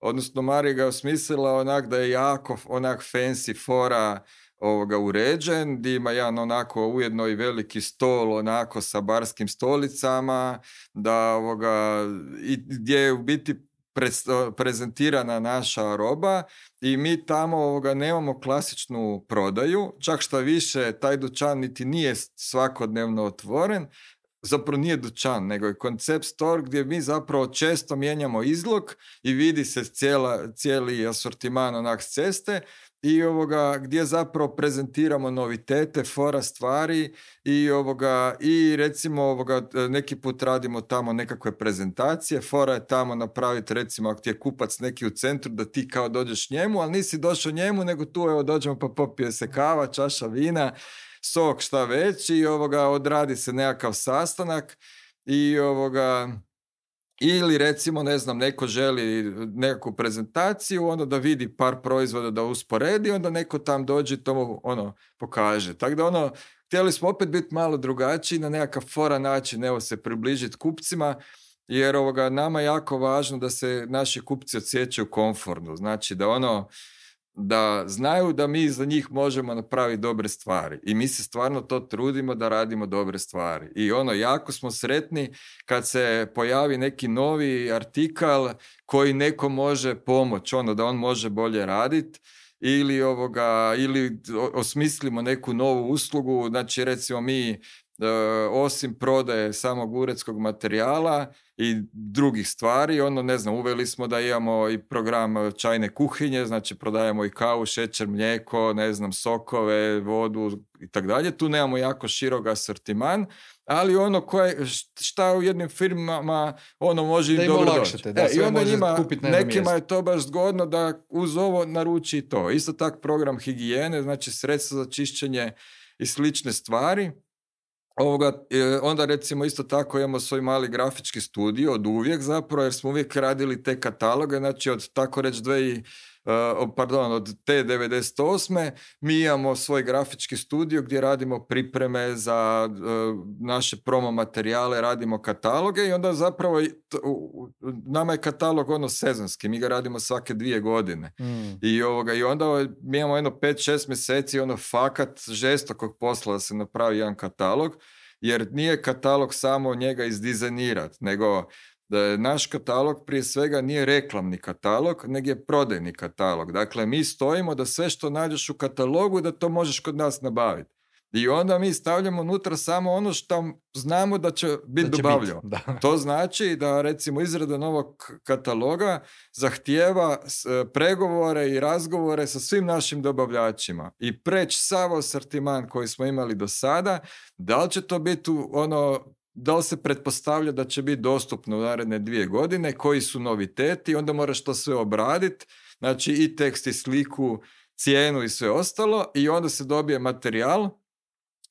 odnosno Marija ga osmislila onak da je jako onak fancy fora ovoga uređen, gdje ima jedan onako ujedno i veliki stol onako sa barskim stolicama, da ovoga, i gdje je u biti prezentirana naša roba i mi tamo ovoga nemamo klasičnu prodaju, čak što više taj dućan niti nije svakodnevno otvoren, zapravo nije dućan, nego je concept store gdje mi zapravo često mijenjamo izlog i vidi se cijela, cijeli asortiman onak s ceste i ovoga gdje zapravo prezentiramo novitete, fora stvari i ovoga i recimo ovoga neki put radimo tamo nekakve prezentacije, fora je tamo napraviti recimo ako ti je kupac neki u centru da ti kao dođeš njemu, ali nisi došao njemu nego tu evo dođemo pa popije se kava, čaša vina, sok šta već i ovoga odradi se nekakav sastanak i ovoga ili recimo ne znam neko želi nekakvu prezentaciju onda da vidi par proizvoda da usporedi onda neko tam dođe i to mu ono pokaže. Tako da ono htjeli smo opet biti malo drugačiji na nekakav fora način evo se približiti kupcima jer ovoga nama je jako važno da se naši kupci osjećaju komfortno. Znači da ono da znaju da mi za njih možemo napraviti dobre stvari i mi se stvarno to trudimo da radimo dobre stvari i ono jako smo sretni kad se pojavi neki novi artikal koji neko može pomoći, ono da on može bolje raditi ili ovoga ili osmislimo neku novu uslugu, znači recimo mi osim prodaje samog uredskog materijala i drugih stvari, ono ne znam, uveli smo da imamo i program čajne kuhinje, znači prodajemo i kavu, šećer, mlijeko, ne znam, sokove, vodu i tako dalje. Tu nemamo jako širok asortiman, ali ono koje, šta u jednim firmama ono može im dobro doći. Da, e, I onda njima, nekima mjesto. je to baš zgodno da uz ovo naruči i to. Isto tak program higijene, znači sredstva za čišćenje i slične stvari. Ovoga, onda recimo isto tako imamo svoj mali grafički studio od uvijek zapravo jer smo uvijek radili te kataloge, znači od tako reći dve, uh, pardon, od te devedeset osme mi imamo svoj grafički studio gdje radimo pripreme za uh, naše promo materijale, radimo kataloge i onda zapravo uh, nama je katalog ono sezonski, mi ga radimo svake dvije godine mm. I, ovoga, i onda mi imamo jedno pet šest mjeseci ono fakat žestokog posla da se napravi jedan katalog jer nije katalog samo njega izdizajnirati, nego da naš katalog prije svega nije reklamni katalog, nego je prodajni katalog. Dakle, mi stojimo da sve što nađeš u katalogu da to možeš kod nas nabaviti. I onda mi stavljamo unutra samo ono što znamo da će biti dobavljeno. Bit, to znači da recimo izrada novog kataloga zahtijeva pregovore i razgovore sa svim našim dobavljačima i preći sav asortiman koji smo imali do sada, da li će to biti ono, da li se pretpostavlja da će biti dostupno u naredne dvije godine, koji su noviteti, onda moraš to sve obraditi, znači i tekst i sliku, cijenu i sve ostalo i onda se dobije materijal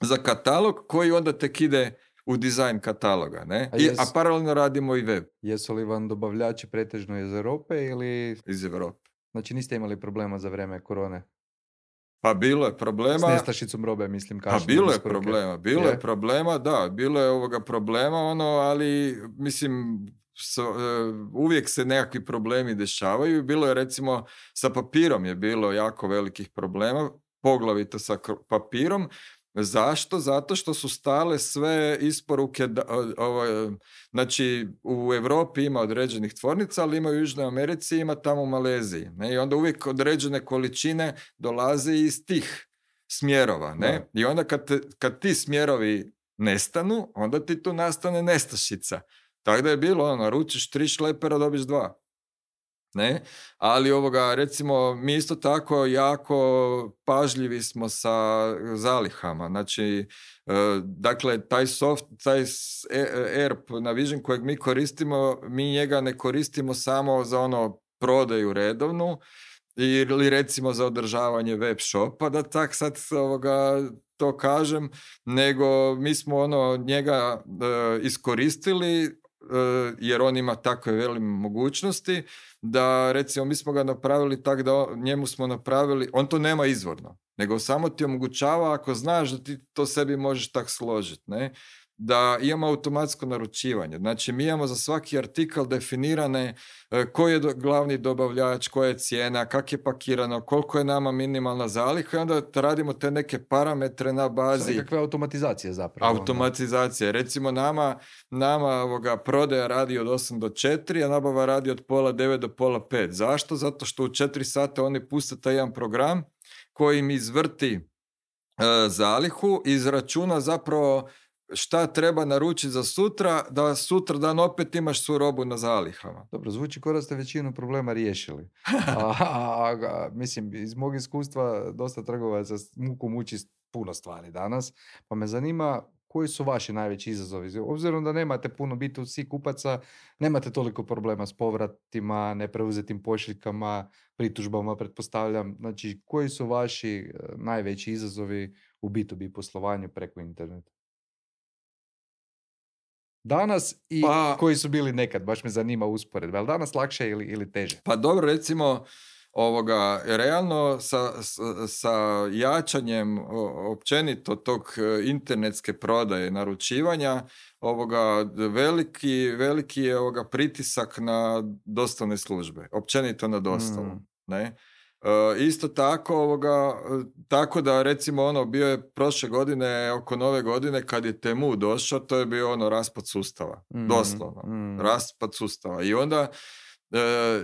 za katalog koji onda tek ide u dizajn kataloga, ne? A, I, jes, a paralelno radimo i web. Jesu li vam dobavljači pretežno iz Europe ili... Iz Europe. Znači niste imali problema za vrijeme korone? Pa bilo je problema. S nestašicom robe, mislim. Pa bilo je problema, bilo je? je problema, da, bilo je ovoga problema, ono, ali mislim... So, uh, uvijek se nekakvi problemi dešavaju. Bilo je recimo sa papirom je bilo jako velikih problema, poglavito sa papirom, Zašto? Zato što su stale sve isporuke, da, ovo, znači u Europi ima određenih tvornica, ali ima u Južnoj Americi, ima tamo u Maleziji. Ne? I onda uvijek određene količine dolaze iz tih smjerova. Ne? I onda kad, te, kad ti smjerovi nestanu, onda ti tu nastane nestašica. Tako da je bilo, ono, naručiš tri šlepera, dobiš dva. Ne? Ali ovoga, recimo, mi isto tako jako pažljivi smo sa zalihama. Znači, e, dakle, taj soft, taj E R P Navision kojeg mi koristimo, mi njega ne koristimo samo za ono prodaju redovnu ili recimo za održavanje web shopa, da tak sad ovoga to kažem, nego mi smo ono njega e, iskoristili jer on ima takve velike mogućnosti da recimo mi smo ga napravili tako da njemu smo napravili, on to nema izvorno, nego samo ti omogućava ako znaš da ti to sebi možeš tak složiti, ne? Da imamo automatsko naručivanje. Znači mi imamo za svaki artikal definirane koji je do, glavni dobavljač, koja je cijena, kak je pakirano, koliko je nama minimalna zaliha i onda radimo te neke parametre na bazi. Kakve automatizacije zapravo. Automatizacije. Recimo nama, nama ovoga prodaja radi od osam do četiri, a nabava radi od pola devet do pola pet. Zašto? Zato što u četiri sata oni puste taj jedan program koji im izvrti e, zalihu i izračuna zapravo šta treba naručiti za sutra, da sutra dan opet imaš svu robu na zalihama. Dobro, zvuči kao da ste većinu problema riješili. a, a, a, a, mislim, iz mog iskustva dosta trgovaca s mukom uči puno stvari danas, pa me zanima koji su vaši najveći izazovi. Obzirom da nemate puno B to C kupaca, nemate toliko problema s povratima, nepreuzetim pošiljkama, pritužbama, pretpostavljam. Znači, koji su vaši najveći izazovi u B to B poslovanju preko interneta? Danas i pa, koji su bili nekad, baš me zanima usporedba. Je li danas lakše ili, ili teže? Pa dobro, recimo, ovoga, realno sa, sa, sa jačanjem općenito tog internetske prodaje, naručivanja, ovoga, veliki, veliki je ovoga pritisak na dostavne službe, općenito na dostavu. Mm. Ne? Uh, isto tako, ovoga, tako da recimo ono bio je prošle godine oko nove godine kad je Temu došao, to je bio ono raspad sustava, mm, doslovno, mm. raspad sustava i onda uh,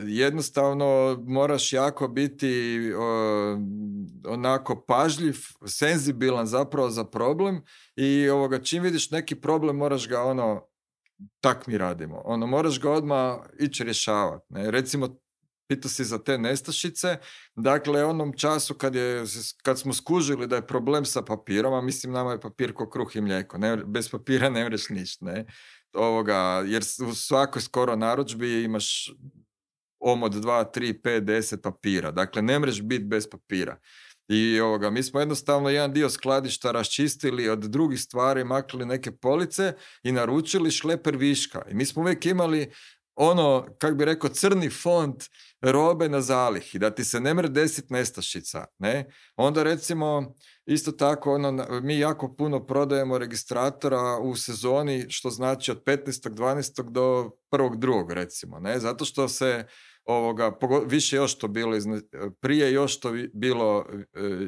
jednostavno moraš jako biti uh, onako pažljiv, senzibilan zapravo za problem i ovoga, čim vidiš neki problem moraš ga ono, tak mi radimo, ono moraš ga odmah ići rješavati, ne? Recimo pitao si za te nestašice, dakle onom času kad, je, kad smo skužili da je problem sa papirom, a mislim nama je papir ko kruh i mlijeko, ne, bez papira ne mreš ništa, ne, ovoga, jer u svakoj skoro narudžbi imaš omot dva, tri, pet, deset papira, dakle ne mreš biti bez papira. I ovoga, mi smo jednostavno jedan dio skladišta raščistili od drugih stvari, makli neke police i naručili šleper viška. I mi smo uvijek imali ono, kak bi rekao, crni fond robe na zalihi, da ti se ne mre desit nestašica, ne? Onda recimo, isto tako, ono, mi jako puno prodajemo registratora u sezoni, što znači od petnaestog dvanaestog do prvog drugog recimo, ne? Zato što se ovoga, više još to bilo, prije još to bilo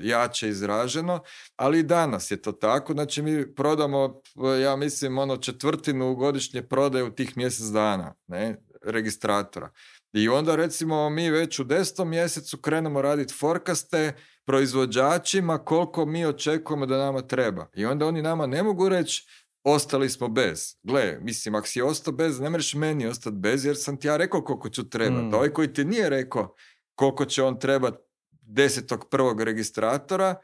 jače izraženo, ali i danas je to tako, znači mi prodamo, ja mislim, ono četvrtinu godišnje prodaje u tih mjesec dana, ne, registratora. I onda recimo mi već u desetom mjesecu krenemo raditi forecaste proizvođačima koliko mi očekujemo da nama treba. I onda oni nama ne mogu reći ostali smo bez. Gle, mislim, ako si ostao bez, ne možeš meni ostati bez, jer sam ti ja rekao koliko ću trebati. Mm. Ovaj koji ti nije rekao koliko će on trebati desetog prvog registratora,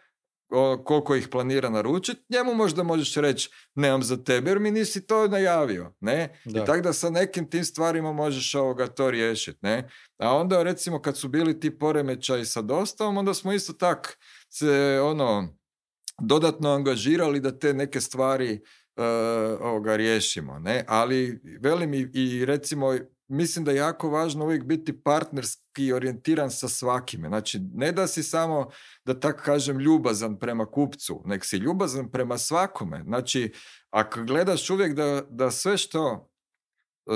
o, koliko ih planira naručiti, njemu možda možeš reći nemam za tebe, jer mi nisi to najavio. Ne? I tako da sa nekim tim stvarima možeš ovoga to riješiti. Ne? A onda recimo kad su bili ti poremećaji sa dostavom, onda smo isto tak se ono dodatno angažirali da te neke stvari Uh, ovoga riješimo, ne? Ali velim i, i recimo mislim da je jako važno uvijek biti partnerski orijentiran sa svakime, znači ne da si samo da tako kažem ljubazan prema kupcu, nek si ljubazan prema svakome, znači ako gledaš uvijek da, da sve što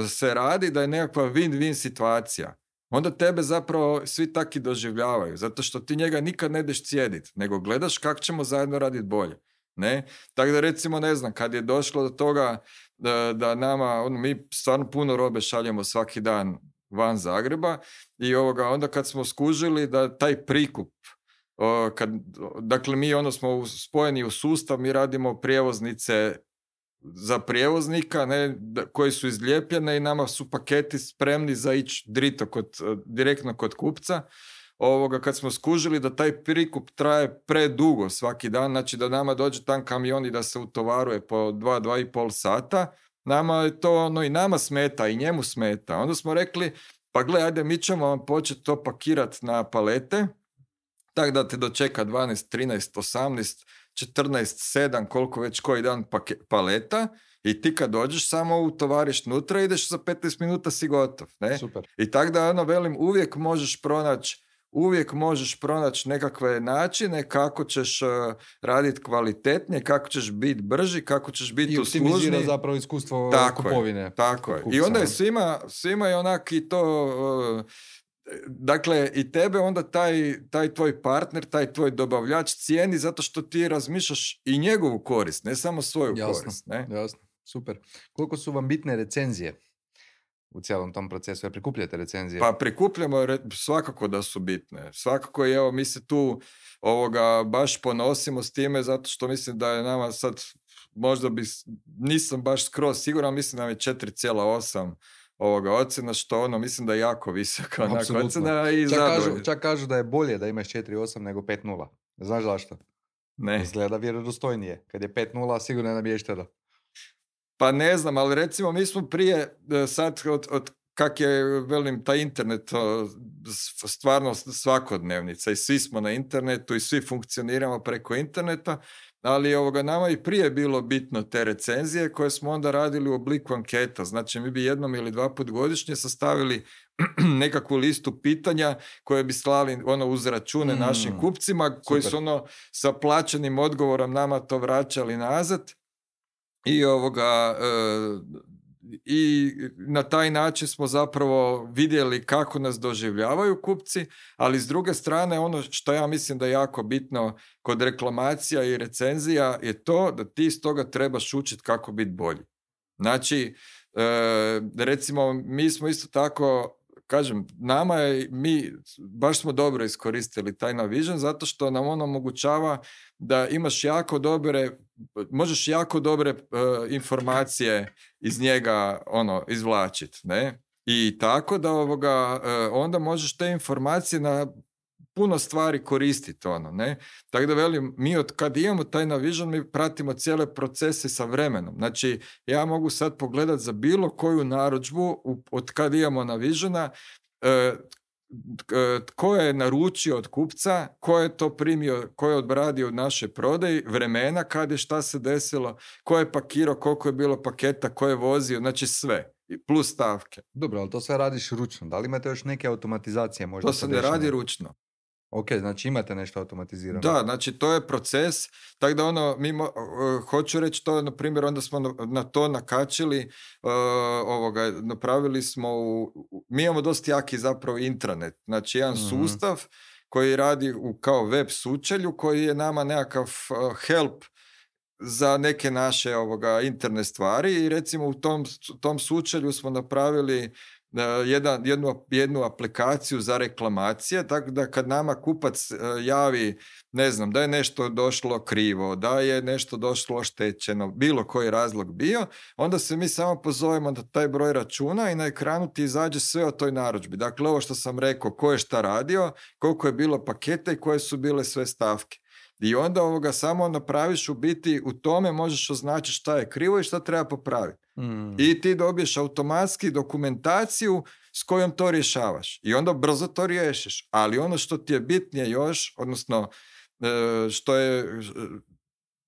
se radi da je nekakva win-win situacija, onda tebe zapravo svi tako i doživljavaju, zato što ti njega nikad ne ideš cijediti, nego gledaš kako ćemo zajedno raditi bolje. Ne? Tako da recimo, ne znam, kad je došlo do toga da, da nama, ono, mi stvarno puno robe šaljemo svaki dan van Zagreba i ovoga, onda kad smo skužili da taj prikup, o, kad, dakle mi ono smo spojeni u sustav, mi radimo prijevoznice za prijevoznika, ne, da, koji su izlijepljene i nama su paketi spremni za ići drito kod, direktno kod kupca. Ovoga, kad smo skužili da taj prikup traje predugo svaki dan, znači da nama dođe tam kamion i da se utovaruje po dva, dva i pol sata, nama je to ono i nama smeta i njemu smeta. Onda smo rekli, pa gle, ajde, mi ćemo vam početi to pakirati na palete, tako da te dočeka dvanaest, trinaest, osamnaest, četrnaest, sedam, koliko već koji dan pake, paleta, i ti kad dođeš samo utovariš nutra, ideš za petnaest minuta si gotov. Ne? Super. I tako da, ono, velim, uvijek možeš pronaći uvijek možeš pronaći nekakve načine kako ćeš uh, raditi kvalitetnije, kako ćeš biti brži, kako ćeš biti uslužniji. I optimizira zapravo iskustvo tako kupovine. Je, tako je. Kupca. I onda je svima, svima je onak i to... Uh, dakle, i tebe onda taj, taj tvoj partner, taj tvoj dobavljač cijeni zato što ti razmišljaš i njegovu korist, ne samo svoju jasno, korist. Ne? Jasno, super. Koliko su vam bitne recenzije u cijelom tom procesu? Jer prikupljate recenzije? Pa prikupljamo, svakako da su bitne. Svakako, evo, mi se tu ovoga baš ponosimo s time, zato što mislim da je nama sad, možda bi, nisam baš skroz siguran, mislim da nam je četiri zarez osam ovoga ocjena, što ono, mislim da je jako visoka onak ocjena i čak kažu, zadovoljno. čak kažu da je bolje da imaš četiri zarez osam nego pet nula. Znaš zašto? Ne. Izgleda vjerodostojnije. Kad je pet nula, sigurno je namješteno. Pa ne znam, ali recimo mi smo prije, sad od, od kak je, velim, taj internet stvarno svakodnevnica i svi smo na internetu i svi funkcioniramo preko interneta, ali ovoga, nama i prije bilo bitno te recenzije koje smo onda radili u obliku anketa. Znači mi bi jednom ili dva put godišnje sastavili nekakvu listu pitanja koje bi slali ono uz račune mm, našim kupcima koji super. Su ono sa plaćenim odgovorom nama to vraćali nazad. I ovoga e, i na taj način smo zapravo vidjeli kako nas doživljavaju kupci, ali s druge strane ono što ja mislim da je jako bitno kod reklamacija i recenzija je to da ti iz toga trebaš učiti kako biti bolji. Znači, e, recimo mi smo isto tako, kažem, nama je, mi baš smo dobro iskoristili taj Navision zato što nam on omogućava da imaš jako dobre, možeš jako dobre uh, informacije iz njega ono izvlačiti, ne? I tako da ovoga, uh, onda možeš te informacije na puno stvari koristiti, ono, ne? Tako da velim, mi od kad imamo taj Navision, mi pratimo cijele procese sa vremenom. Znači, ja mogu sad pogledati za bilo koju narudžbu od kad imamo Navisiona, uh, ko je naručio od kupca, ko je to primio, ko je obradio od naše prodaje, vremena kad je šta se desilo, ko je pakirao, koliko je bilo paketa, ko je vozio, znači sve, plus stavke. Dobro, ali to sve radiš ručno. Da li imate još neke automatizacije? Možda to se ne radi ručno. Ok, znači imate nešto automatizirano. Da, znači to je proces, tako da ono, mi mo, uh, hoću reći to, na primjer, onda smo na, na to nakačili, uh, ovoga, napravili smo, u, mi imamo dosta jaki zapravo intranet, znači jedan mm-hmm. sustav koji radi u, kao web sučelju, koji je nama nekakav uh, help za neke naše ovoga, interne stvari i recimo u tom, tom sučelju smo napravili Jedan, jednu, jednu aplikaciju za reklamacije, tako da kad nama kupac javi, ne znam, da je nešto došlo krivo, da je nešto došlo oštećeno, bilo koji razlog bio, onda se mi samo pozovemo na taj broj računa i na ekranu ti izađe sve o toj narudžbi. Dakle, ovo što sam rekao, ko je šta radio, koliko je bilo paketa i koje su bile sve stavke. I onda ovoga samo napraviš u biti, u tome možeš označiti šta je krivo i šta treba popraviti. Mm. I ti dobiješ automatski dokumentaciju s kojom to rješavaš. I onda brzo to riješiš. Ali ono što ti je bitnije još, odnosno što je,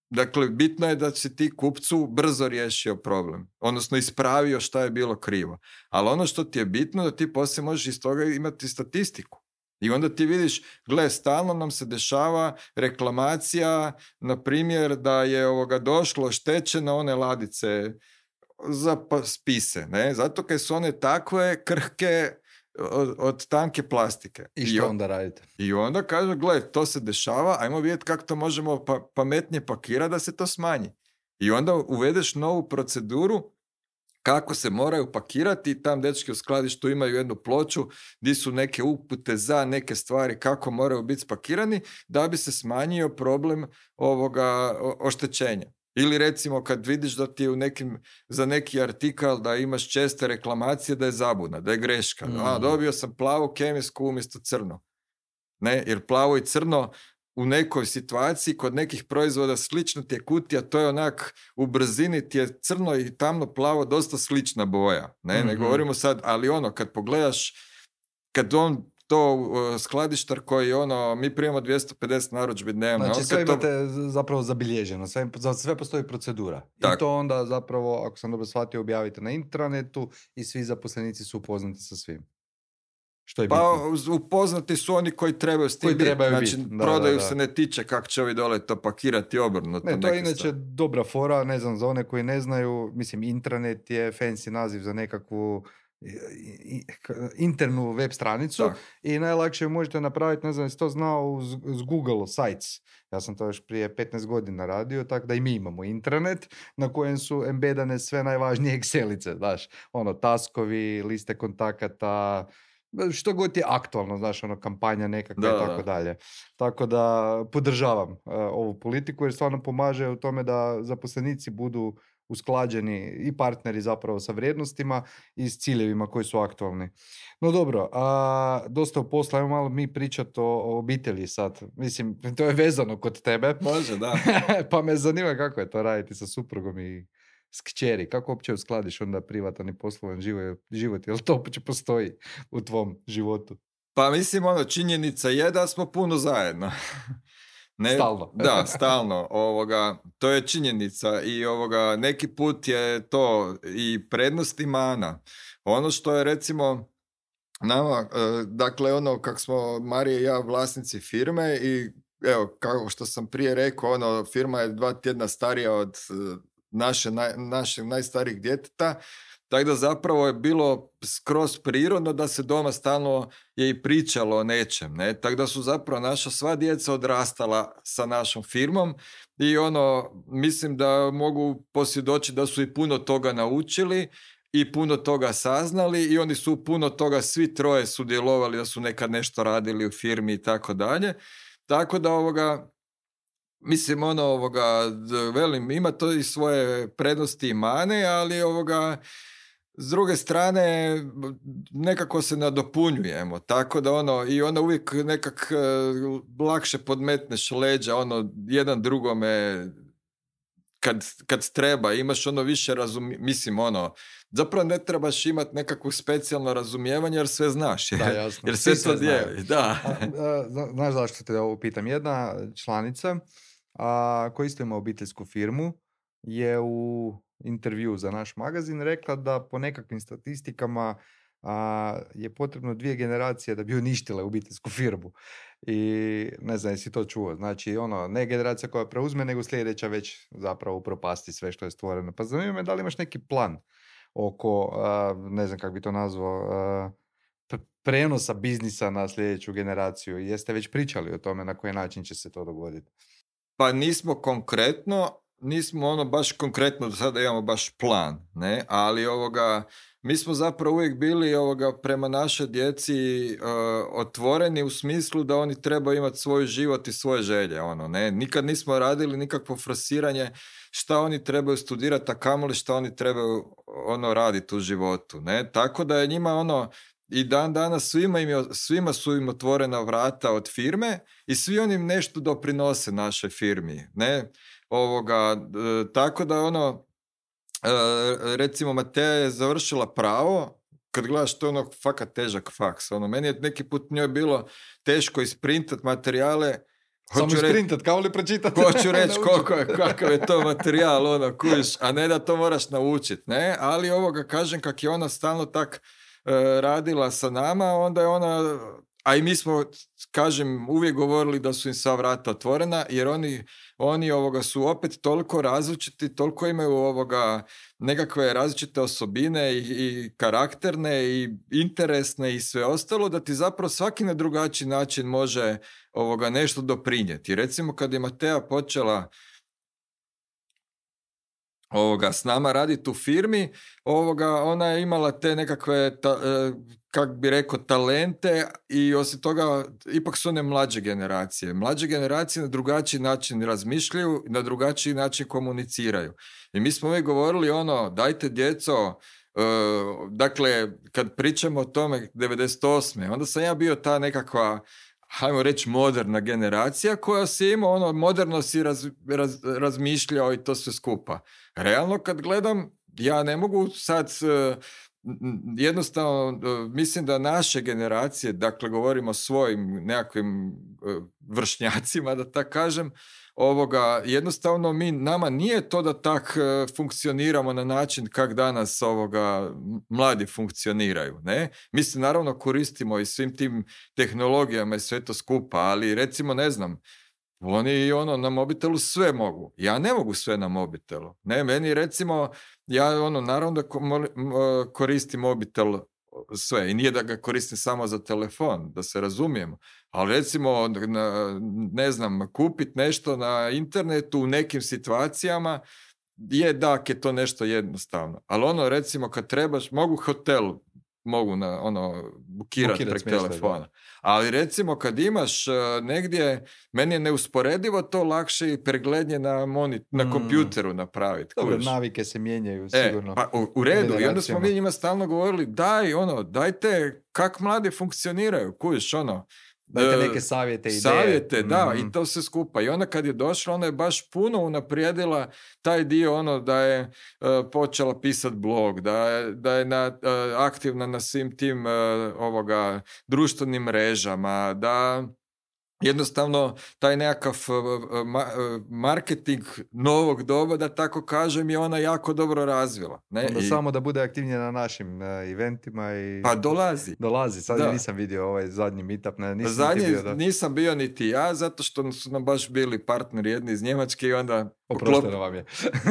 dakle, bitno je da si ti kupcu brzo riješio problem. Odnosno ispravio šta je bilo krivo. Ali ono što ti je bitno da ti poslije možeš iz toga imati statistiku. I onda ti vidiš, gle, stalno nam se dešava reklamacija, na primjer, da je ovoga došlo štećeno one ladice za spise, ne? Zato kad su one takve krhke, od, od tanke plastike. I što I, onda radite? I onda kaže, gle, to se dešava, ajmo vidjeti kako to možemo pa, pametnije pakirati da se to smanji. I onda uvedeš novu proceduru kako se moraju pakirati i tam dečki u skladištu imaju jednu ploču gdje su neke upute za neke stvari kako moraju biti spakirani da bi se smanjio problem ovoga oštećenja. Ili recimo kad vidiš da ti je u nekim, za neki artikal da imaš česte reklamacije da je zabuna, da je greška. Mm. A, dobio sam plavo kemijsku umjesto crno. Ne, jer plavo i crno u nekoj situaciji kod nekih proizvoda slično ti je kutija, to je onak u brzini ti je crno i tamno plavo dosta slična boja. Ne, mm-hmm. ne govorimo sad, ali ono kad pogledaš, kad on to uh, skladištar koji ono, mi primamo dvjesto pedeset narudžbi dnevno. Znači on, sve to... imate zapravo zabilježeno, sve, za sve postoji procedura. Tak. I to onda zapravo, ako sam dobro shvatio, objavite na intranetu i svi zaposlenici su upoznati sa svim. Što je pa bitno. upoznati su oni koji trebaju s tim koji biti. Znači, bit. Da, prodaju da, da. se ne tiče kako će ovi dole to pakirati obrnuto. Ne, to je inače stvari. dobra fora, ne znam, za one koji ne znaju, mislim, intranet je fancy naziv za nekakvu internu web stranicu tak. I najlakše možete napraviti, ne znam, jesi to znao uz, uz Google Sites. Ja sam to još prije petnaest godina radio, tako da i mi imamo intranet na kojem su embedane sve najvažnije Excelice, znaš, ono, taskovi, liste kontakata, što god je aktualno, znaš, ono, kampanja nekakva i tako dalje. Tako da podržavam uh, ovu politiku jer stvarno pomaže u tome da zaposlenici budu usklađeni i partneri zapravo sa vrijednostima i s ciljevima koji su aktualni. No dobro, a, dosta u posla, ajmo malo mi pričati o, o obitelji sad. Mislim, to je vezano kod tebe. Može, da. Pa me zanima kako je to raditi sa suprugom i s kćeri. Kako uopće uskladiš onda privatan i poslovan život, život? Jel to uopće postoji u tvom životu? Pa mislim, ono, činjenica je da smo puno zajedno. Ne, stalno. Da, stalno. Ovoga, to je činjenica i ovoga, neki put je to i prednost i mana. Ono što je recimo nama, dakle ono kako smo Marija i ja vlasnici firme i evo kao što sam prije rekao, ono, firma je dva tjedna starija od naše, naj, našeg najstarijih djeteta, tako da zapravo je bilo skroz prirodno da se doma stalno je i pričalo o nečem, ne? Tako da su zapravo naša sva djeca odrastala sa našom firmom i ono, mislim da mogu posvjedočiti da su i puno toga naučili i puno toga saznali i oni su puno toga svi troje sudjelovali da su nekad nešto radili u firmi i tako dalje. Tako da ovoga, mislim ono ovoga, velim, ima to i svoje prednosti i mane, ali ovoga, s druge strane, nekako se nadopunjujemo, tako da ono, i onda uvijek nekak lakše podmetneš leđa, ono, jedan drugome, kad, kad treba, imaš ono više razumijevanja, mislim, ono, zapravo ne trebaš imati nekakvo specijalno razumijevanje, jer sve znaš, jer, da, jasno. jer sve to dijeli, da. A, a, znaš zašto te ovo pitam? Jedna članica, a, koja isto ima obiteljsku firmu, je u intervju za naš magazin rekla da po nekakvim statistikama a, je potrebno dvije generacije da bi uništile obiteljsku firmu. I ne znam, jesi to čuo. Znači, ono, ne generacija koja preuzme, nego sljedeća već zapravo upropasti sve što je stvoreno. Pa zanima me da li imaš neki plan oko, a, ne znam kako bi to nazvao, a, prenosa biznisa na sljedeću generaciju. Jeste već pričali o tome na koji način će se to dogoditi? Pa nismo konkretno, nismo ono baš konkretno do sada imamo baš plan, ne, ali ovoga, mi smo zapravo uvijek bili ovoga prema našoj djeci uh, otvoreni u smislu da oni trebaju imati svoj život i svoje želje, ono, ne, nikad nismo radili nikakvo forsiranje šta oni trebaju studirati, a kamoli šta oni trebaju ono raditi u životu, ne, tako da je njima ono i dan danas svima, im, svima su im otvorena vrata od firme i svi oni im nešto doprinose našoj firmi, ne, ovoga, e, tako da ono, e, recimo Mateja je završila pravo, kad gledaš to ono fakat težak faks, ono, meni je neki put njoj bilo teško isprintat materijale. Samo isprintat, kao li pročitati? Hoću reći koliko je, kakav je to materijal, ono, kužiš, a ne da to moraš naučiti, ne, ali ovoga kažem kak je ona stalno tak radila sa nama, onda je ona, a i mi smo, kažem, uvijek govorili da su im sva vrata otvorena, jer oni, oni ovoga su opet toliko različiti, toliko imaju ovoga nekakve različite osobine i, i karakterne i interesne i sve ostalo, da ti zapravo svaki na drugačiji način može ovoga nešto doprinijeti. Recimo kad je Matea počela ovoga, s nama raditi u firmi, ovoga, ona je imala te nekakve, ta, kak bi rekao, talente i osim toga, ipak su one mlađe generacije. Mlađe generacije na drugačiji način razmišljaju, na drugačiji način komuniciraju. I mi smo uvijek govorili ono, dajte djeco, uh, dakle, kad pričamo o tome devedeset osme onda sam ja bio ta nekakva, hajmo reći, moderna generacija koja si ima, ono, moderno si raz, raz, razmišljao i to sve skupa. Realno kad gledam, ja ne mogu sad, uh, jednostavno, uh, mislim da naše generacije, dakle govorimo o svojim nekakvim uh, vršnjacima, da tako kažem, ovoga, jednostavno mi, nama nije to da tak uh, funkcioniramo na način kak danas ovoga mladi funkcioniraju, ne? Mi se naravno koristimo i svim tim tehnologijama i sve to skupa, ali recimo, ne znam, oni ono na mobitelu sve mogu. Ja ne mogu sve na mobitelu. Ne, meni recimo, ja ono naravno da koristim mobitel sve i nije da ga koristim samo za telefon, da se razumijemo. Ali recimo, ne znam, kupiti nešto na internetu u nekim situacijama je da je to nešto jednostavno. Ali ono recimo kad trebaš, mogu hotel, mogu na, ono, bukirati prek telefona. Da. Ali recimo kad imaš uh, negdje, meni je neusporedivo to lakše i preglednje na, moni, na mm. kompjuteru napraviti. Dobro, navike se mijenjaju sigurno. E, pa, u, u redu, i onda smo mi njima stalno govorili, daj, ono, dajte kak mladi funkcioniraju, kužiš, ono, dajte neke savjete, ideje. Savjete, da, mm-hmm. i to sve skupa. I onda kad je došla, ona je baš puno unaprijedila taj dio, ono, da je uh, počela pisati blog, da je, da je na, uh, aktivna na svim tim uh, ovoga, društvenim mrežama, da jednostavno taj nekakav uh, ma, uh, marketing novog doba, da tako kažem, je ona jako dobro razvila. Ne? Onda I... samo da bude aktivnija na našim uh, eventima i... Pa dolazi. Dolazi, sad da. Nisam vidio ovaj zadnji meetup. Ne, nisam zadnji bio, da... nisam bio niti ja, zato što su nam baš bili partneri jedni iz Njemačke i onda... Oprošteno vam je.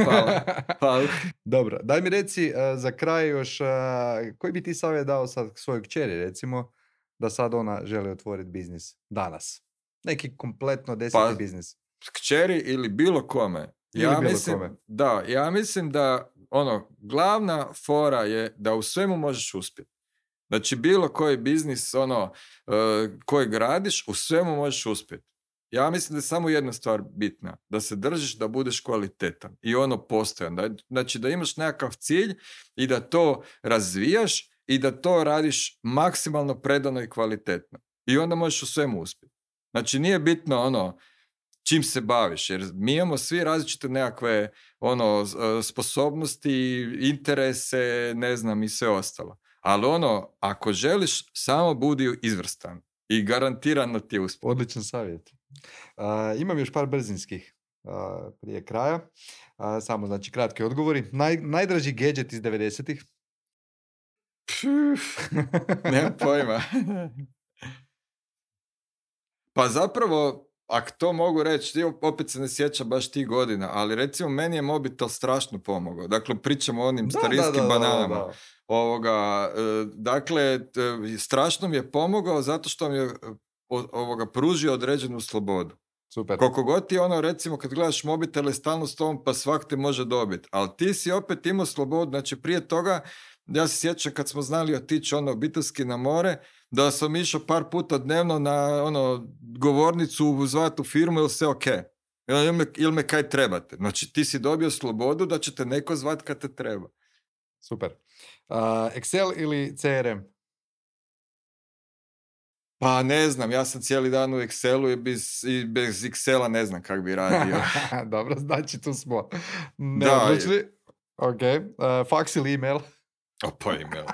Hvala. Hvala. Dobro, daj mi reci uh, za kraj još, uh, koji bi ti savjet dao sad svojoj kćeri, recimo, da sad ona želi otvoriti biznis danas? Neki kompletno deseti pa, biznis. Kćeri ili bilo kome. Ili ja bilo mislim, kome. Da, ja mislim da ono, glavna fora je da u svemu možeš uspjeti. Znači bilo koji biznis ono, uh, koji gradiš, u svemu možeš uspjeti. Ja mislim da je samo jedna stvar bitna. Da se držiš, da budeš kvalitetan. I ono postojan. Da, znači da imaš nekakav cilj i da to razvijaš i da to radiš maksimalno predano i kvalitetno. I onda možeš u svemu uspjeti. Znači nije bitno ono čim se baviš, jer mi imamo svi različite nekakve ono sposobnosti, interese, ne znam i sve ostalo. Ali ono, ako želiš, samo budi izvrstan i garantirano ti je uspjeh. Odličan savjet. Uh, imam još par brzinskih uh, prije kraja. Uh, samo znači kratki odgovori. Naj, najdraži gadget iz devedesetih? Nemam pojma. Pa zapravo, ako to mogu reći, opet se ne sjećam baš tih godina, ali recimo meni je mobitel strašno pomogao. Dakle, pričamo o onim da, starinskim da, da, bananama. Da, da, da. Ovoga, dakle, strašno mi je pomogao zato što mi je ovoga, pružio određenu slobodu. Super. Koliko god ti ono, recimo, kad gledaš mobitel je stalno s tom, pa svak te može dobiti. Ali ti si opet imao slobodu. Znači, prije toga, ja se sjećam kad smo znali otići ono obiteljski na more, da sam išao par puta dnevno na ono govornicu zvati u firmu, ili sve ok? Ili me, ili me kaj trebate? Znači, ti si dobio slobodu da će te neko zvati kad te treba. Super. Uh, Excel ili C R M? Pa ne znam, ja sam cijeli dan u Excelu i bez, i bez Excela ne znam kak bi radio. Dobro, znači tu smo. Ne da, odlučili. Ok. Uh, fax ili email? O, pa email.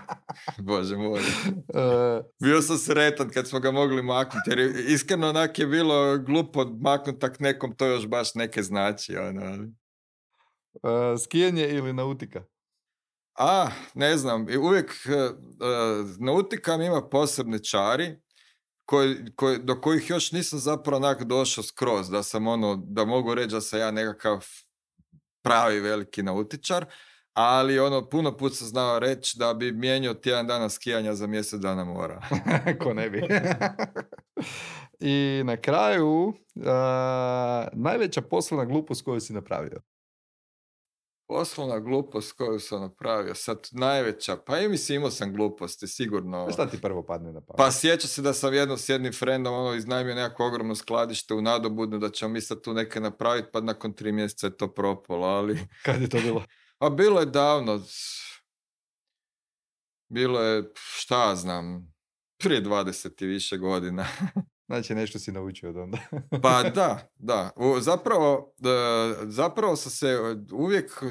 Bože moj. Uh, Bio sam sretan kad smo ga mogli maknuti, jer iskreno onak je bilo glupo maknuti tak nekom, to još baš neke znači. Ono. Uh, skijanje ili nautika? A, ne znam, uvijek uh, nautika mi ima posebne čari, koji, koji, do kojih još nisam zapravo onak došao skroz, da sam ono, da mogu reći da sam ja nekakav pravi veliki nautičar, ali ono, puno put sam znao reći da bi mijenjao tjedan dana skijanja za mjesec dana mora. Ko ne bi. I na kraju, uh, najveća poslovna glupost koju si napravio? Poslovna glupost koju sam napravio, sad najveća, pa i mislim imao sam gluposti, sigurno. Šta ti prvo padne na pamet? Pa sjeća se da sam jedno s jednim frendom ono, iznajmio nekako ogromno skladište u Nadobudnu, da ćemo mi sad tu neke napraviti, pa nakon tri mjeseca je to propalo, ali... Kad je to bilo? A bilo je davno, bilo je, šta znam, prije dvadeset i više godina. Znači nešto si naučio od onda. Pa da, da. U, zapravo, zapravo sam se uvijek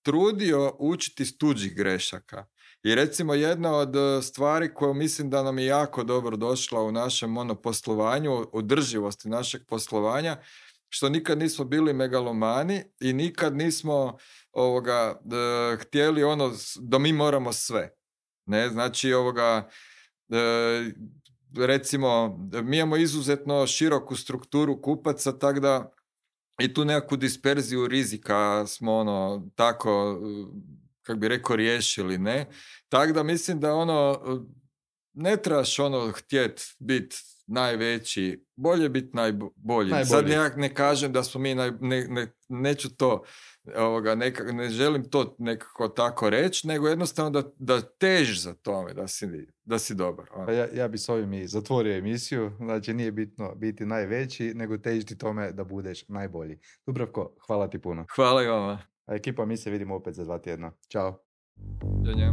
trudio učiti iz tuđih grešaka. I recimo jedna od stvari koju mislim da nam je jako dobro došla u našem ono, poslovanju, održivosti našeg poslovanja, što nikad nismo bili megalomani i nikad nismo ovoga, d, htjeli ono da mi moramo sve. Ne, znači ovoga... D, recimo, mi imamo izuzetno široku strukturu kupaca, tako da i tu nekakvu disperziju rizika smo ono tako, kako bi rekao, riješili, ne? Tako da mislim da ono, ne trebaš ono htjet biti najveći, bolje biti najbolji. najbolji. Sad ja ne kažem da smo mi, naj, ne, ne, neću to, ovoga, neka, ne želim to nekako tako reći, nego jednostavno da, da težiš za tome, da si, da si dobar. Ono. Ja, ja bi s ovim i zatvorio emisiju, znači nije bitno biti najveći, nego težiti tome da budeš najbolji. Dubravko, hvala ti puno. Hvala i vama. A ekipa, mi se vidimo opet za dva tjedna. Ćao. Ja,